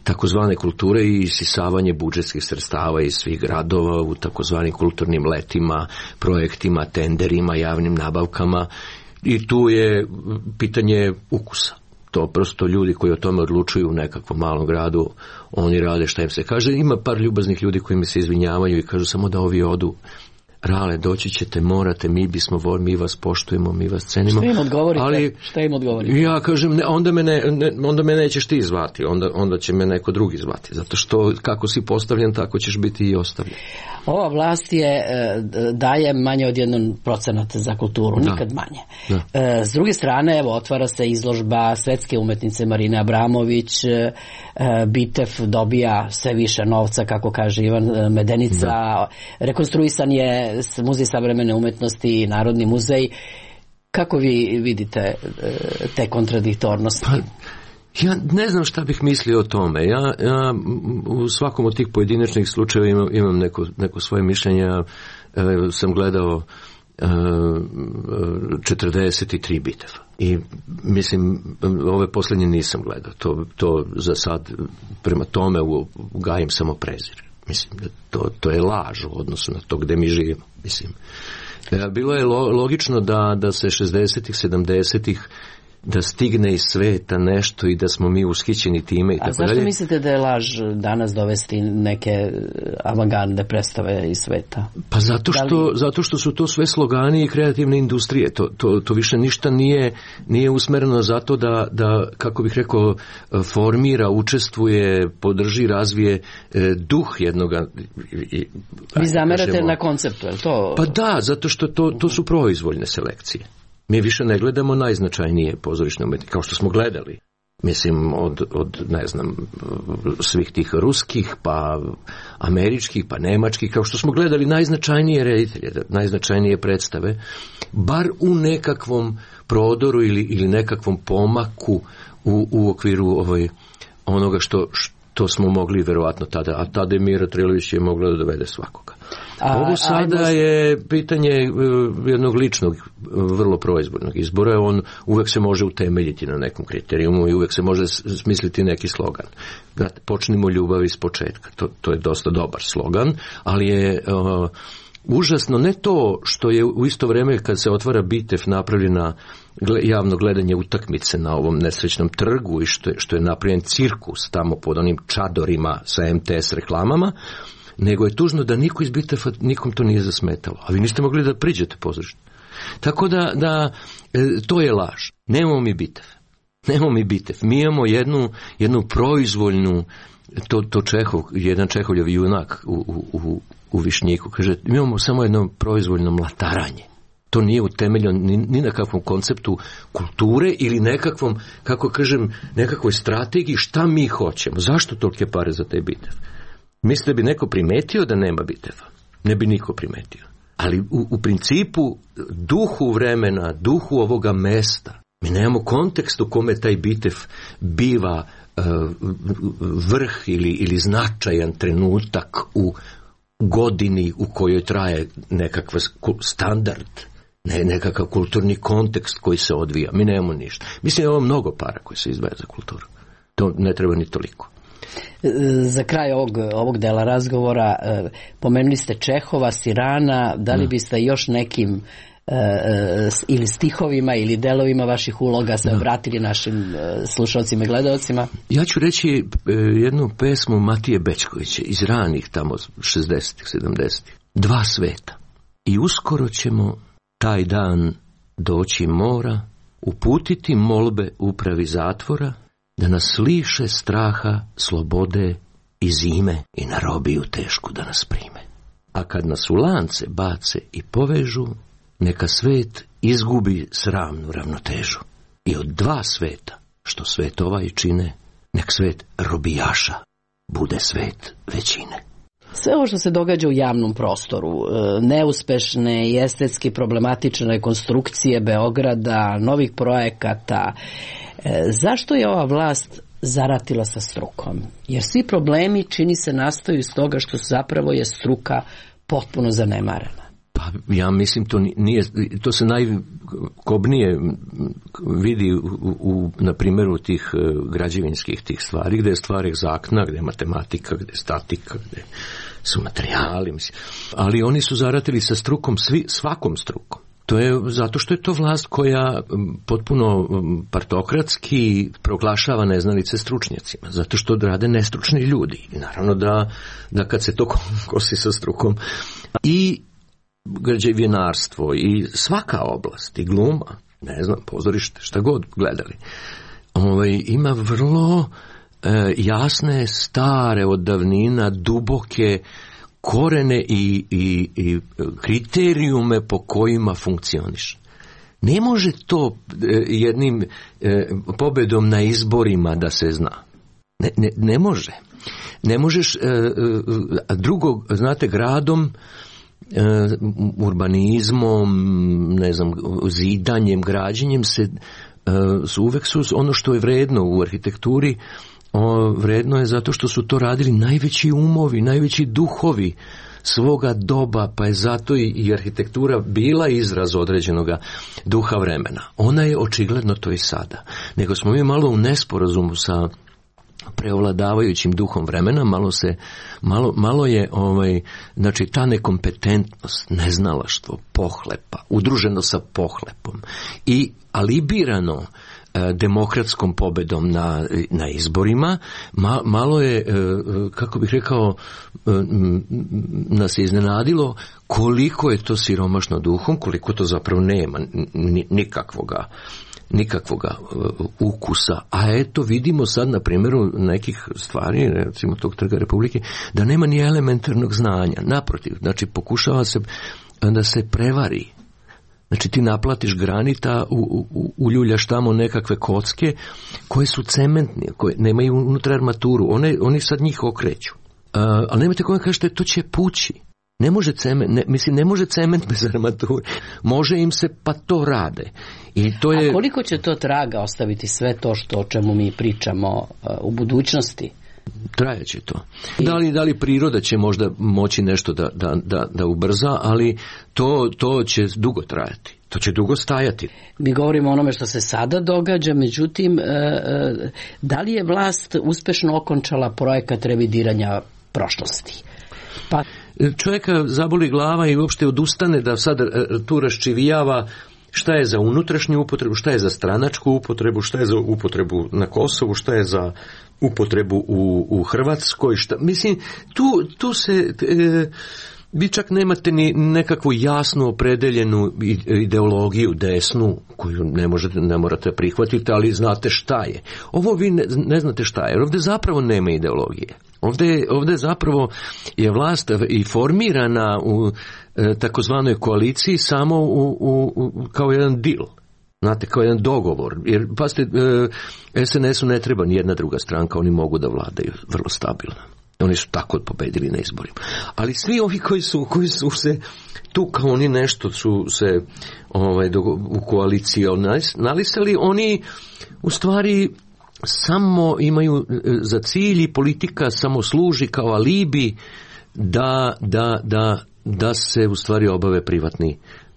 takozvane kulture i isisavanje budžetskih sredstava iz svih gradova u takozvanim kulturnim letima, projektima, tenderima, javnim nabavkama, i tu je pitanje ukusa. To prosto ljudi koji o tome odlučuju u nekakvom malom gradu, oni rade šta im se kaže. Ima par ljubaznih ljudi koji mi se izvinjavaju i kažu samo da ovi odu. Rale, doći ćete, morate, mi vas poštujemo, mi vas cenimo. Šta im odgovorite? Šta im odgovorite? Ja kažem, onda me nećeš ti zvati, onda će me neko drugi zvati, zato što kako si postavljen, tako ćeš biti i ostavljen. Ova vlast daje manje od 1% za kulturu, nikad manje. Da. S druge strane, evo, otvara se izložba svetske umetnice Marine Abramović, Bitev dobija sve više novca, kako kaže Ivan Medenica, rekonstruisan je Muzej savremene umetnosti i Narodni muzej. Kako vi vidite te kontradiktornosti? Pa, ja ne znam šta bih mislio o tome. Ja u svakom od tih pojedinačnih slučajeva imam neko svoje mišljenje. Sam gledao 43 biteva. I mislim, ove posljednje nisam gledao. To za sad prema tome gajim samo prezir. Mislim, to je laž u odnosu na to gde mi živimo. Mislim, bilo je logično da se 60-ih, 70-ih da stigne iz sveta nešto i da smo mi ushićeni time i tako dalje. A zašto mislite da je laž danas dovesti neke avangardne predstave iz sveta? Pa zato što su to sve slogani i kreativne industrije. To više ništa nije usmereno zato da, kako bih rekao, formira, učestvuje, podrži, razvije duh jednoga. Vi zamerate na konceptu, je li to? Pa da, zato što to su proizvoljne selekcije. Mi više ne gledamo najznačajnije pozorišne umetnike, kao što smo gledali. Mislim, od ne znam, svih tih ruskih, pa američkih, pa nemačkih, kao što smo gledali najznačajnije reditelje, najznačajnije predstave, bar u nekakvom prodoru ili nekakvom pomaku u okviru onoga što smo mogli verovatno tada, a tada je Mira Trilović je mogla da dovede svakoga. Ovo sada je pitanje jednog ličnog, vrlo proizvodnog izbora. On uvek se može utemeljiti na nekom kriterijumu i uvek se može smisliti neki slogan. Počnimo ljubav iz početka. To je dosta dobar slogan, ali je užasno ne to što je u isto vreme kad se otvara Bitev napravljena javno gledanje utakmice na ovom nesrećnom trgu i što je napravljen cirkus tamo pod onim čadorima sa MTS reklamama, nego je tužno da niko iz Biteva, nikom to nije zasmetalo. A vi niste mogli da priđete pozorište. Tako da to je laž. Nemamo mi Bitev. Nemamo mi Bitev. Mi imamo jednu proizvoljnu, to jedan Čehovljev junak u Višnjiku, kaže, mi imamo samo jedno proizvoljno mlataranje. To nije utemeljeno ni na kakvom konceptu kulture ili nekakvom, kako kažem, nekakvoj strategiji šta mi hoćemo. Zašto tolike pare za taj Bitev? Mislite bi neko primetio da nema Biteva? Ne bi niko primetio. Ali u principu duhu vremena, duhu ovoga mesta, mi nemamo kontekst u kome taj Bitev biva vrh ili značajan trenutak u godini u kojoj traje nekakav standard, nekakav kulturni kontekst koji se odvija. Mi nemamo ništa. Mislim, je ovo mnogo para koji se izdvaja za kulturu. To ne treba ni toliko. Za kraj ovog dela razgovora pomenuli ste Čehova, Sirana, da li biste još nekim ili stihovima ili delovima vaših uloga se obratili našim slušalcima i gledalcima? Ja ću reći jednu pesmu Matije Bečkovića iz ranih tamo 60-ih, 70-ih. Dva sveta. I uskoro ćemo taj dan doći mora uputiti molbe upravi zatvora da nas liše straha, slobode i zime i na robiju tešku da nas prime. A kad nas u lance bace i povežu, neka svet izgubi sramnu ravnotežu. I od dva sveta, što svet ovaj čine, nek svet robijaša bude svet većine. Sve ovo što se događa u javnom prostoru, neuspešne i estetski problematične rekonstrukcije Beograda, novih projekata, zašto je ova vlast zaratila sa strukom? Jer svi problemi, čini se, nastaju iz toga što zapravo je struka potpuno zanemarena. Pa ja mislim to se najkobnije vidi na primjeru tih građevinskih tih stvari, gdje je stvar egzaktna, gdje je matematika, gdje je statika, gdje su materijali, mislim. Ali oni su zaratili sa strukom, svakom strukom. To je zato što je to vlast koja potpuno partokratski proglašava neznalice stručnjacima, zato što rade nestručni ljudi. I naravno da kad se to kosi sa strukom i građevinarstvo i svaka oblast i gluma, ne znam, pozorište, šta god gledali, ima vrlo jasne, stare od davnina, duboke korene i kriterijume po kojima funkcioniš. Ne može to jednim pobedom na izborima da se zna. Ne može. Ne možeš drugo, znate, gradom, urbanizmom, ne znam, zidanjem, građenjem uvek su ono što je vredno u arhitekturi, vredno je zato što su to radili najveći umovi, najveći duhovi svoga doba, pa je zato i arhitektura bila izraz određenog duha vremena. Ona je očigledno to i sada. Nego smo mi malo u nesporazumu sa preovladavajućim duhom vremena, malo je znači ta nekompetentnost, neznalaštvo, pohlepa, udruženo sa pohlepom i alibirano demokratskom pobedom na izborima, malo je, kako bih rekao, nas je iznenadilo koliko je to siromašno duhom, koliko to zapravo nema nikakvoga ukusa. A eto, vidimo sad na primjeru nekih stvari, recimo tog Trga Republike, da nema ni elementarnog znanja. Naprotiv, znači pokušava se da se prevari. Znači ti naplatiš granita, uljuljaš tamo nekakve kocke koje su cementne, koje nemaju unutra armaturu, oni sad njih okreću. Ali nemojte kome kažete, to će pući. Ne može cement bez armature. Može im se, pa to rade. I to je... A koliko će to traga ostaviti sve to o čemu mi pričamo u budućnosti? Trajaće to. Da li priroda će možda moći nešto da ubrza, ali to će dugo trajati. To će dugo stajati. Mi govorimo o onome što se sada događa, međutim, da li je vlast uspešno okončala projekat revidiranja prošlosti? Pa čovjeka zaboli glava i uopšte odustane da sad tu raščivijava šta je za unutrašnju upotrebu, šta je za stranačku upotrebu, šta je za upotrebu na Kosovu, šta je za upotrebu u Hrvatskoj. Mislim, tu se... Vi čak nemate ni nekakvu jasnu opredeljenu ideologiju desnu koju ne morate prihvatiti, ali znate šta je. Ovo vi ne znate šta je, jer ovdje zapravo nema ideologije. Ovdje zapravo je vlast i formirana u takozvanoj koaliciji samo kao jedan deal. Znate, kao jedan dogovor. Jer, pazite, SNS-u ne treba ni jedna druga stranka, oni mogu da vladaju vrlo stabilno. Oni su tako pobedili na izborima. Ali svi ovi koji su se tu kao oni nešto su se u koaliciji nalisali, oni u stvari samo imaju za cilj i politika samo služi kao alibi da se u stvari obave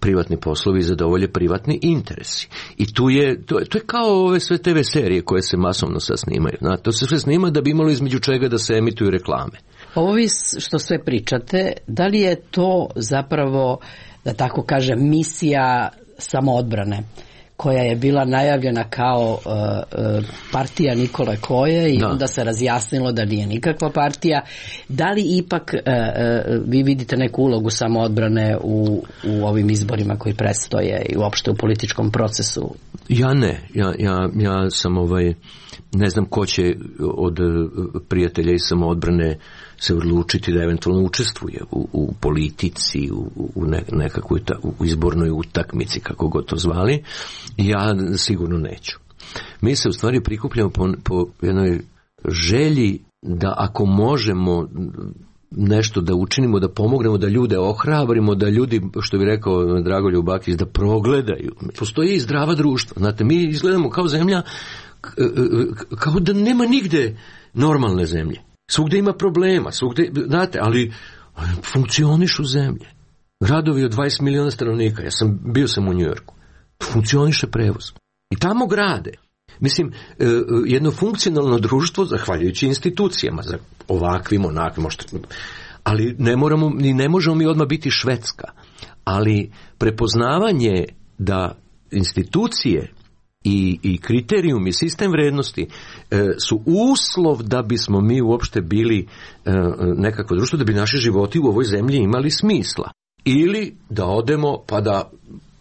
privatni poslovi i zadovolje privatni interesi. I to je kao ove sve TV serije koje se masovno sad snimaju. To se sve snima da bi imalo između čega da se emituju reklame. Ovo vi što sve pričate, da li je to zapravo, da tako kažem, misija samoodbrane? koja je bila najavljena kao partija Nikole Koje i onda se razjasnilo da nije nikakva partija. Da li ipak vi vidite neku ulogu samoodbrane u ovim izborima koji predstoje i uopšte u političkom procesu? Ja ne. Ja sam ne znam ko će od prijatelja iz samoodbrane se odlučiti da eventualno učestvuje u politici, u nekakvoj u izbornoj utakmici, kako god to zvali. Ja sigurno neću. Mi se u stvari prikupljamo po jednoj želji da ako možemo nešto da učinimo, da pomognemo, da ljude ohrabrimo, da ljudi, što bi rekao Dragoljub Bakić, da progledaju. Postoji i zdrava društva. Znate, mi izgledamo kao zemlja kao da nema nigde normalne zemlje. Svugde ima problema, znate, ali funkcionišu zemlje. Gradovi od 20 miliona stanovnika, bio sam u Njujorku, funkcioniše prevoz. I tamo grade. Mislim, jedno funkcionalno društvo, zahvaljujući institucijama, za ovakvim, onakvim, ali ne možemo mi odmah biti Švedska. Ali prepoznavanje da institucije i kriterijum i sistem vrednosti su uslov da bismo mi uopšte bili nekako društvo, da bi naši životi u ovoj zemlji imali smisla. Ili da odemo pa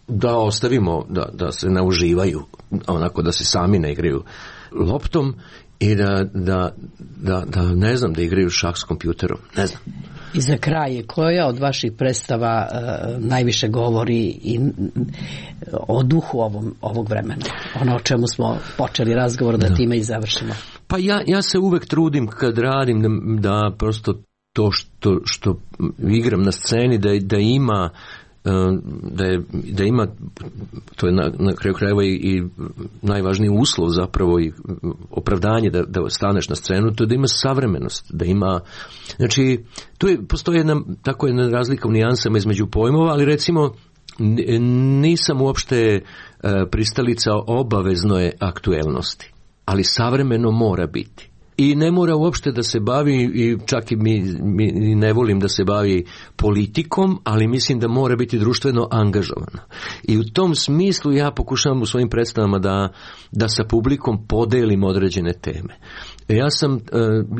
da ostavimo da se ne uživaju, onako da se sami ne igraju loptom i da ne znam, da igraju šah s kompjuterom, ne znam. I za kraj, koja od vaših predstava najviše govori i o duhu ovog vremena? Ono o čemu smo počeli razgovor, da time i završimo. Pa ja se uvek trudim kad radim da prosto to što igram na sceni da ima to je na kraju krajeva i najvažniji uslov zapravo i opravdanje da staneš na scenu, to je da ima savremenost, da ima, znači postoji jedna razlika u nijansama između pojmova, ali recimo nisam uopšte pristalica obavezno aktuelnosti, ali savremeno mora biti. I ne mora uopšte da se bavi, i čak i mi ne volim da se bavi politikom, ali mislim da mora biti društveno angažovano. I u tom smislu ja pokušavam u svojim predstavama da sa publikom podelim određene teme. Ja sam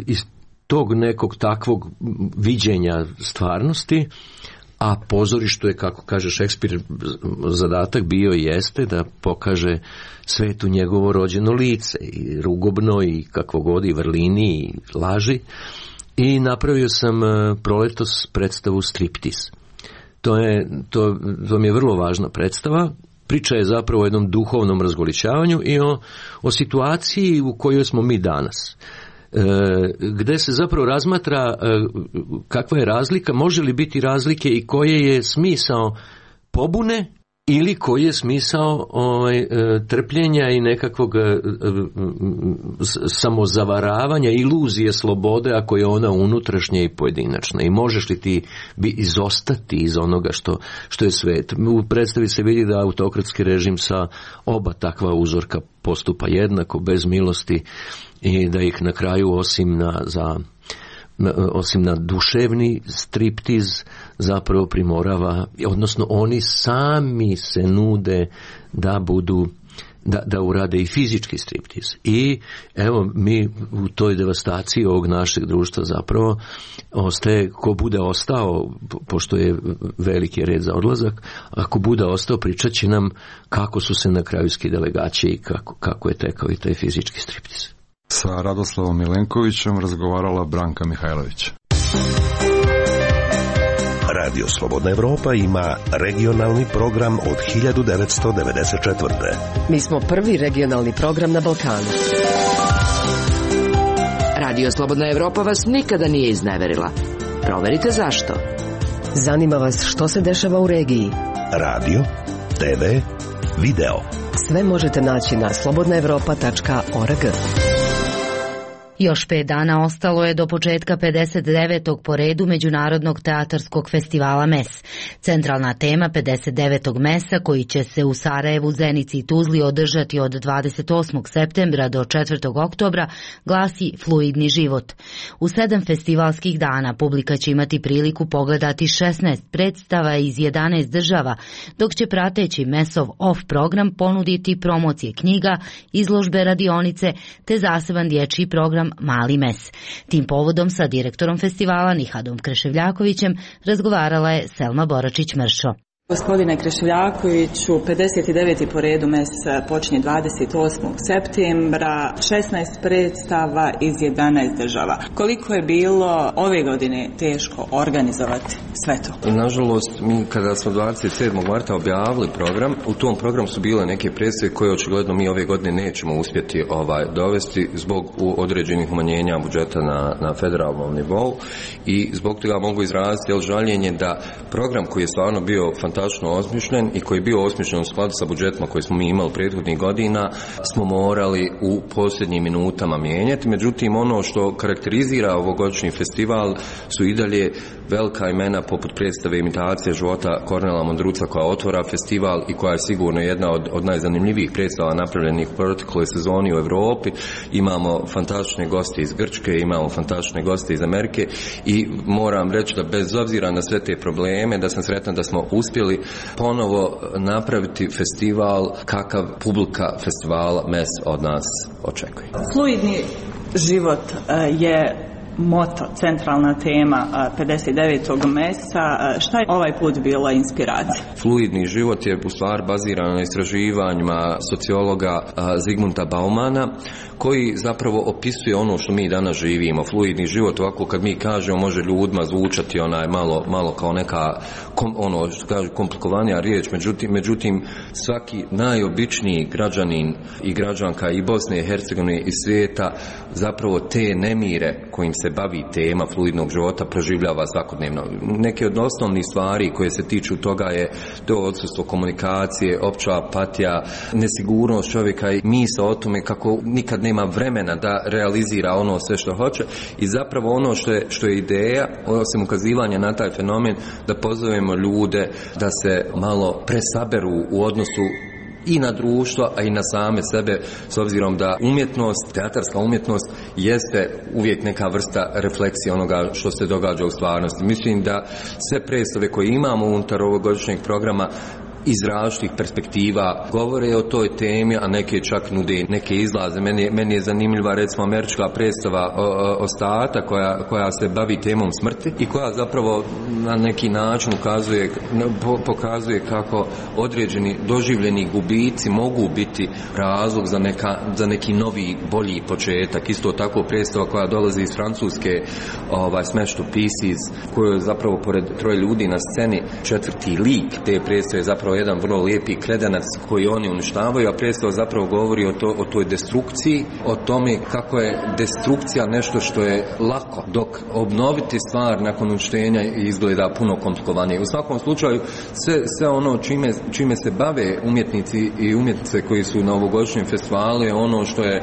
iz tog nekog takvog viđenja stvarnosti, a pozorištu je, kako kaže Šekspir, zadatak bio i jeste da pokaže svetu njegovo rođeno lice, i rugobno, i kakvo god, i vrlini, i laži. I napravio sam proletos predstavu Striptiz. To mi je vrlo važna predstava. Priča je zapravo o jednom duhovnom razgoličavanju i o situaciji u kojoj smo mi danas. Gde se zapravo razmatra kakva je razlika, može li biti razlike i koje je smisao pobune ili koji je smisao trpljenja i nekakvog samozavaravanja, iluzije slobode, ako je ona unutrašnja i pojedinačna. I možeš li ti izostati iz onoga što je svet. U predstavi se vidi da autokratski režim sa oba takva uzorka postupa jednako, bez milosti, i da ih na kraju osim na duševni striptiz zapravo primorava, odnosno oni sami se nude da urade i fizički striptiz. I evo, mi u toj devastaciji ovog našeg društva zapravo ostaje, ko bude ostao, pošto je veliki red za odlazak, ako bude ostao, pričat će nam kako su se na kraju skidale gaće i kako je tekao i taj fizički striptiz. Sa Radoslavom Milenkovićem razgovarala Branka Mihajlović. Radio Slobodna Evropa ima regionalni program od 1994. Mi smo prvi regionalni program na Balkanu. Radio Slobodna Evropa vas nikada nije izneverila. Proverite zašto. Zanima vas što se dešava u regiji. Radio, TV, video. Sve možete naći na slobodnaevropa.org. Još 5 dana ostalo je do početka 59. po redu Međunarodnog teatarskog festivala MES. Centralna tema 59. MES-a, koji će se u Sarajevu, Zenici i Tuzli održati od 28. septembra do 4. oktobra, glasi Fluidni život. U 7 festivalskih dana publika će imati priliku pogledati 16 predstava iz 11 država, dok će prateći MES-ov off program ponuditi promocije knjiga, izložbe, radionice te zaseban dječji program Mali mes. Tim povodom sa direktorom festivala Nihadom Kreševljakovićem razgovarala je Selma Boračić-Mršo. Gospodine Kreševljakoviću, 59. po redu mes počinje 28. septembra, 16 predstava iz 11 država. Koliko je bilo ove godine teško organizovati sve to? Nažalost, mi kada smo 27. marta objavili program, u tom programu su bile neke predstave koje očigledno mi ove godine nećemo uspjeti dovesti zbog određenih umanjenja budžeta na federalnom nivou i zbog toga mogu izraziti žaljenje da program koji je stvarno bio fantastično osmišljen i koji je bio osmišljen u skladu sa budžetima koje smo mi imali prethodnih godina smo morali u posljednjim minutama mijenjati. Međutim, ono što karakterizira ovogodišnji festival su i dalje velika imena poput predstave Imitacije života Kornela Mondruca koja otvara festival i koja je sigurno jedna od najzanimljivijih predstava napravljenih u protekloj sezoni u Europi. Imamo fantastične goste iz Grčke, imamo fantastične goste iz Amerike i moram reći da bez obzira na sve te probleme da sam sretan da smo uspjeli ponovo napraviti festival kakav publika festivala MES od nas očekuje. Fluidni život je moto, centralna tema 59. MES-a. Šta je ovaj put bila inspiracija? Fluidni život je u stvari baziran na istraživanjima sociologa Zigmunta Baumana, koji zapravo opisuje ono što mi danas živimo. Fluidni život, ovako kad mi kažemo, može ljudima zvučati malo kao neka što kažu komplikovanija riječ, međutim svaki najobičniji građanin i građanka i Bosne i Hercegovine i svijeta zapravo te nemire kojim se bavi tema fluidnog života proživljava svakodnevno. Neke od osnovnih stvari koje se tiču toga je to odsustvo komunikacije, opća apatija, nesigurnost čovjeka i misao o tome kako nikad nema vremena da realizira ono sve što hoće i zapravo ono što je ideja, osim ukazivanja na taj fenomen, da pozovemo ljude da se malo presaberu u odnosu i na društvo, a i na same sebe, s obzirom da umjetnost, teatarska umjetnost jeste uvijek neka vrsta refleksije onoga što se događa u stvarnosti. Mislim da sve predstave koje imamo unutar ovogodišnjeg programa iz različitih perspektiva govore o toj temi, a neke čak nude neke izlaze. Meni je zanimljiva recimo američka predstava Ostata koja se bavi temom smrti i koja zapravo na neki način pokazuje kako određeni doživljeni gubici mogu biti razlog za neki novi, bolji početak. Isto tako predstava koja dolazi iz Francuske, Smash to Pieces, koju je zapravo pored troje ljudi na sceni četvrti lik te predstave je zapravo jedan vrlo lijepi kredanac koji oni uništavaju, a predstava zapravo govori o toj destrukciji, o tome kako je destrukcija nešto što je lako, dok obnoviti stvar nakon uništenja izgleda puno komplikovanije. U svakom slučaju sve ono čime se bave umjetnici i umjetnice koji su na ovogodišnjem festivalu je ono što je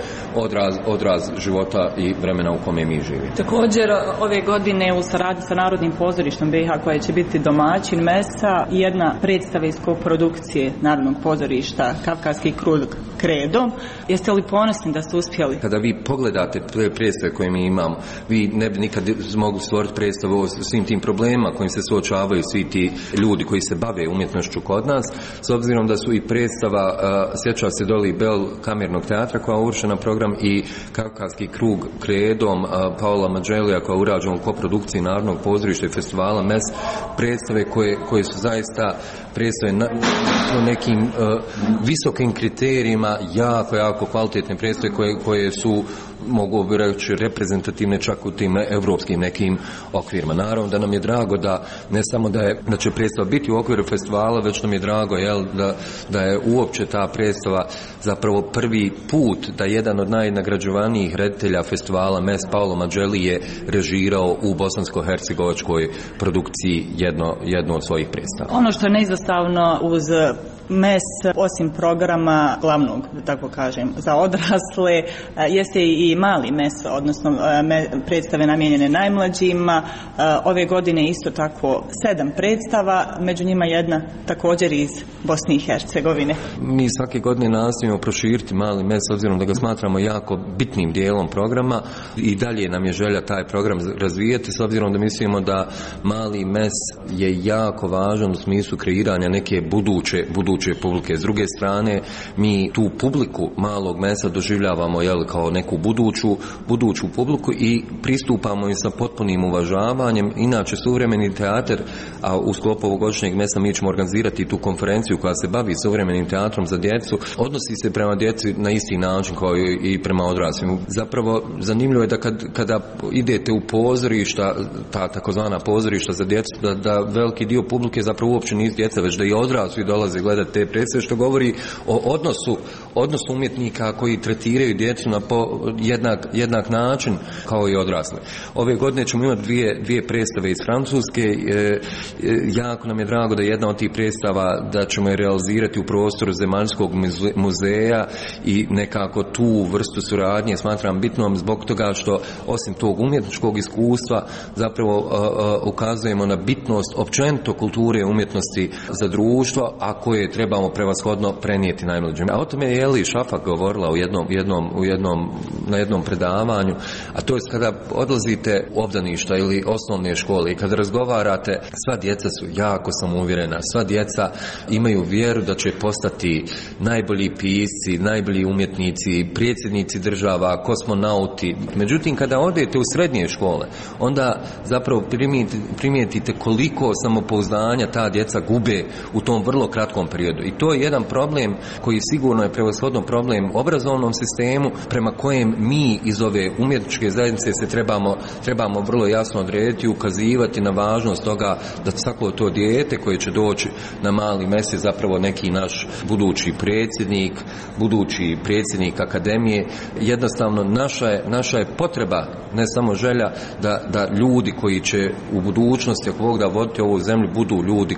odraz života i vremena u kome mi živimo. Također ove godine u saradnji sa Narodnim pozorištem BiH koje će biti domaćin MES-a jedna predstava iz koprodukcije Narodnog pozorišta Kavkaski krug Kredo. Jeste li ponosni da ste uspjeli? Kada vi pogledate predstave koje mi imamo, vi ne bi nikad mogli stvoriti predstavu o svim tim problemima kojim se suočavaju svi ti ljudi koji se bave umjetnošću kod nas, s obzirom da su i predstava sjeća se Doli Bell kamernog teatra koja je uvršena program i Kavkaski krug Kredom Paola Mađelija koja je urađena u koprodukciji Narodnog pozorišta i festivala MES, predstave koje su zaista predstave po nekim visokim kriterijima, jako kvalitetne predstave koje su, mogu bi reći, reprezentativne čak u tim evropskim nekim okvirima. Naravno da nam je drago da ne samo da će predstava biti u okviru festivala, već nam je drago da je uopće ta predstava zapravo prvi put da jedan od najnagrađivanijih reditelja festivala MES Paolo Mađeli je režirao u bosansko-hercegovačkoj produkciji jedno od svojih predstava. Ono što je neizostavno uz MES, osim programa glavnog, da tako kažem, za odrasle, jeste i mali MES, odnosno predstave namijenjene najmlađima. Ove godine isto tako 7 predstava, među njima jedna također iz Bosne i Hercegovine. Mi svake godine nastojimo proširiti mali MES, obzirom da ga smatramo jako bitnim dijelom programa i dalje nam je želja taj program razvijati, s obzirom da mislimo da mali MES je jako važan u smislu kreiranja neke buduće publike. S druge strane, mi tu publiku malog MES-a doživljavamo kao neku buduću publiku i pristupamo i sa potpunim uvažavanjem. Inače, suvremeni teatar, a u sklopu ovogodišnjeg MES-a mi ćemo organizirati tu konferenciju koja se bavi suvremenim teatrom za djecu, odnosi se prema djeci na isti način kao i prema odraslim. Zapravo, zanimljivo je da kada idete u pozorišta, ta takozvana pozorišta za djecu, da veliki dio publike zapravo uopće nisu djeca, već da i odrasli dolaze gledati te predstave, što govori o odnosu umjetnika koji tretiraju djecu na jednak način kao i odrasle. Ove godine ćemo imati dvije predstave iz Francuske. Jako nam je drago da jedna od tih predstava da ćemo je realizirati u prostoru Zemaljskog muzeja i nekako tu vrstu suradnje smatram bitnom zbog toga što osim tog umjetničkog iskustva zapravo ukazujemo na bitnost općenito kulture i umjetnosti za društvo, a koje trebamo prevashodno prenijeti najmlađima. A o tome je Eli Šafak govorila na jednom predavanju, a to je kada odlazite u obdaništa ili osnovne škole i kada razgovarate, sva djeca su jako samouvjerena, sva djeca imaju vjeru da će postati najbolji pisci, najbolji umjetnici, predsjednici država, kosmonauti. Međutim, kada odete u srednje škole, onda zapravo primijetite koliko samopouzdanja ta djeca gube u tom vrlo kratkom periodu. I to je jedan problem koji sigurno je prevashodno problem obrazovnom sistemu, prema kojem mi iz ove umjetničke zajednice se trebamo vrlo jasno odrediti i ukazivati na važnost toga da svako to dijete koje će doći na mali MES je zapravo neki naš budući predsjednik akademije. Jednostavno naša je potreba, ne samo želja, da ljudi koji će u budućnosti, ako Bog da, voditi ovu zemlju, budu ljudi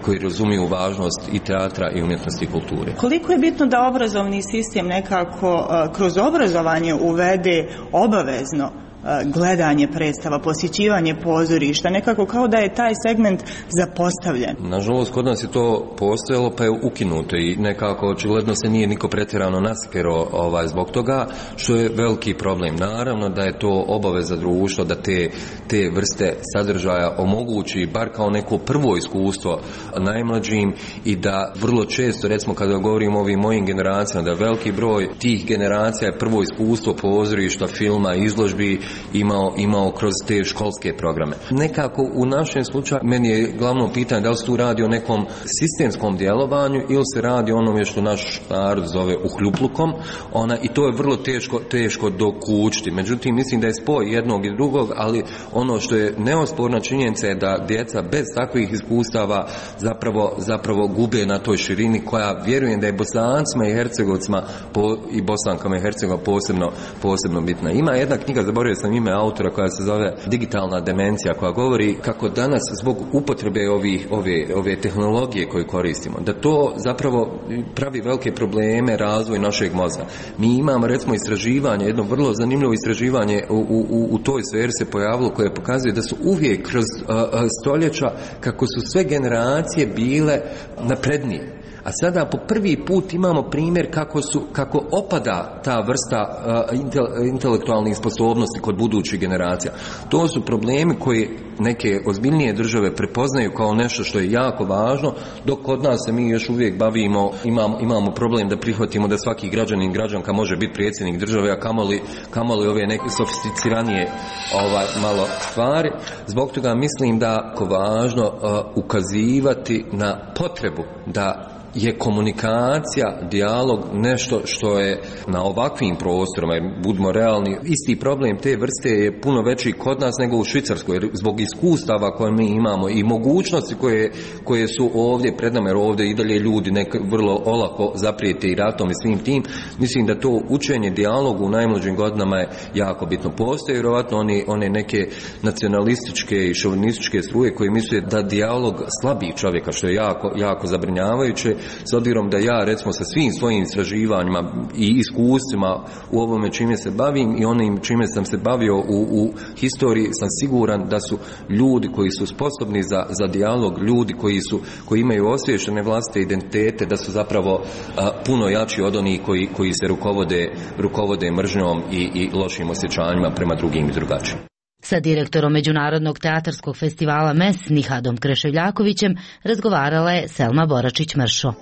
koji razumiju važnost i teatra i umjetnosti i kulture. Koliko je bitno da obrazovni sistem nekako kroz obrazovanje uvede obavezno gledanje predstava, posjećivanje pozorišta, nekako kao da je taj segment zapostavljen. Nažalost, kod nas je to postojalo pa je ukinuto i nekako očigledno se nije niko pretjerano nasikero zbog toga, što je veliki problem. Naravno da je to obaveza društva da te vrste sadržaja omogući bar kao neko prvo iskustvo najmlađim i da vrlo često, recimo kada govorimo o ovim mojim generacijama, da veliki broj tih generacija je prvo iskustvo pozorišta, filma, izložbi imao kroz te školske programe. Nekako u našem slučaju meni je glavno pitanje da li se tu radi o nekom sistemskom djelovanju ili se radi o onome što naš narod zove uhljuplukom, i to je vrlo teško dokučiti. Međutim, mislim da je spoj jednog i drugog, ali ono što je neosporna činjenica je da djeca bez takvih iskustava zapravo gube na toj širini koja vjerujem da je Bosancima i Hercegovcima i Bosankama i Hercegovima posebno bitna. Ima jedna knjiga, zaboravio sam ime autora, koja se zove Digitalna demencija, koja govori kako danas zbog upotrebe ove tehnologije koje koristimo, da to zapravo pravi velike probleme razvoj našeg mozga. Mi imamo recimo istraživanje, jedno vrlo zanimljivo istraživanje u toj sferi se pojavilo koje pokazuje da su uvijek kroz stoljeća kako su sve generacije bile naprednije. A sada po prvi put imamo primjer kako opada ta vrsta intelektualnih sposobnosti kod budućih generacija. To su problemi koji neke ozbiljnije države prepoznaju kao nešto što je jako važno, dok kod nas se mi još uvijek imamo problem da prihvatimo da svaki građanin, građanka može biti predsjednik države, a kamoli ove neke sofisticiranije malo stvari. Zbog toga mislim da je važno ukazivati na potrebu da je komunikacija, dijalog nešto što je na ovakvim prostorima, jer budimo realni, isti problem te vrste je puno veći kod nas nego u Švicarskoj, jer zbog iskustava koje mi imamo i mogućnosti koje su ovdje pred nama, jer ovdje i dalje ljudi vrlo olako zaprijete i ratom i svim tim, mislim da to učenje dijalogu u najmlađim godinama je jako bitno. Postoje vjerovatno one neke nacionalističke i šovinističke struje koje misle da dijalog slabi čovjeka, što je jako zabrinjavajuće, s obzirom da ja recimo sa svim svojim istraživanjima i iskustvima u ovome čime se bavim i onim čime sam se bavio u historiji, sam siguran da su ljudi koji su sposobni za dijalog, ljudi koji imaju osviješćene vlastite identitete, da su zapravo puno jači od onih koji se rukovode mržnjom i lošim osjećanjima prema drugim i drugačijim. Sa direktorom Međunarodnog teatarskog festivala MES Nihadom Kreševljakovićem razgovarala je Selma Boračić-Mršo.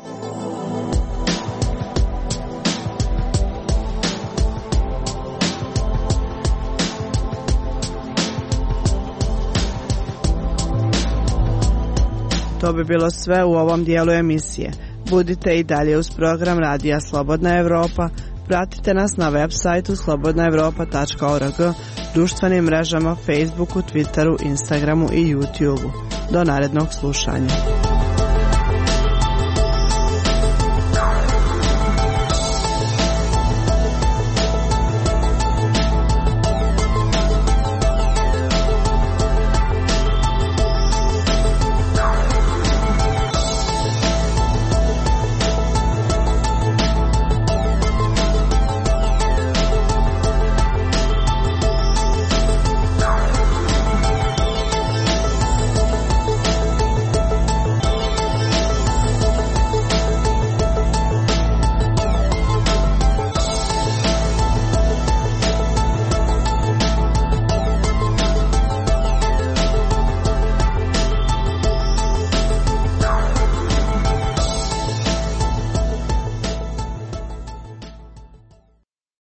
To bi bilo sve u ovom dijelu emisije. Budite i dalje uz program Radija Slobodna Evropa. Pratite nas na web sajtu slobodnaevropa.org, društvenim mrežama Facebooku, Twitteru, Instagramu i YouTubeu. Do narednog slušanja.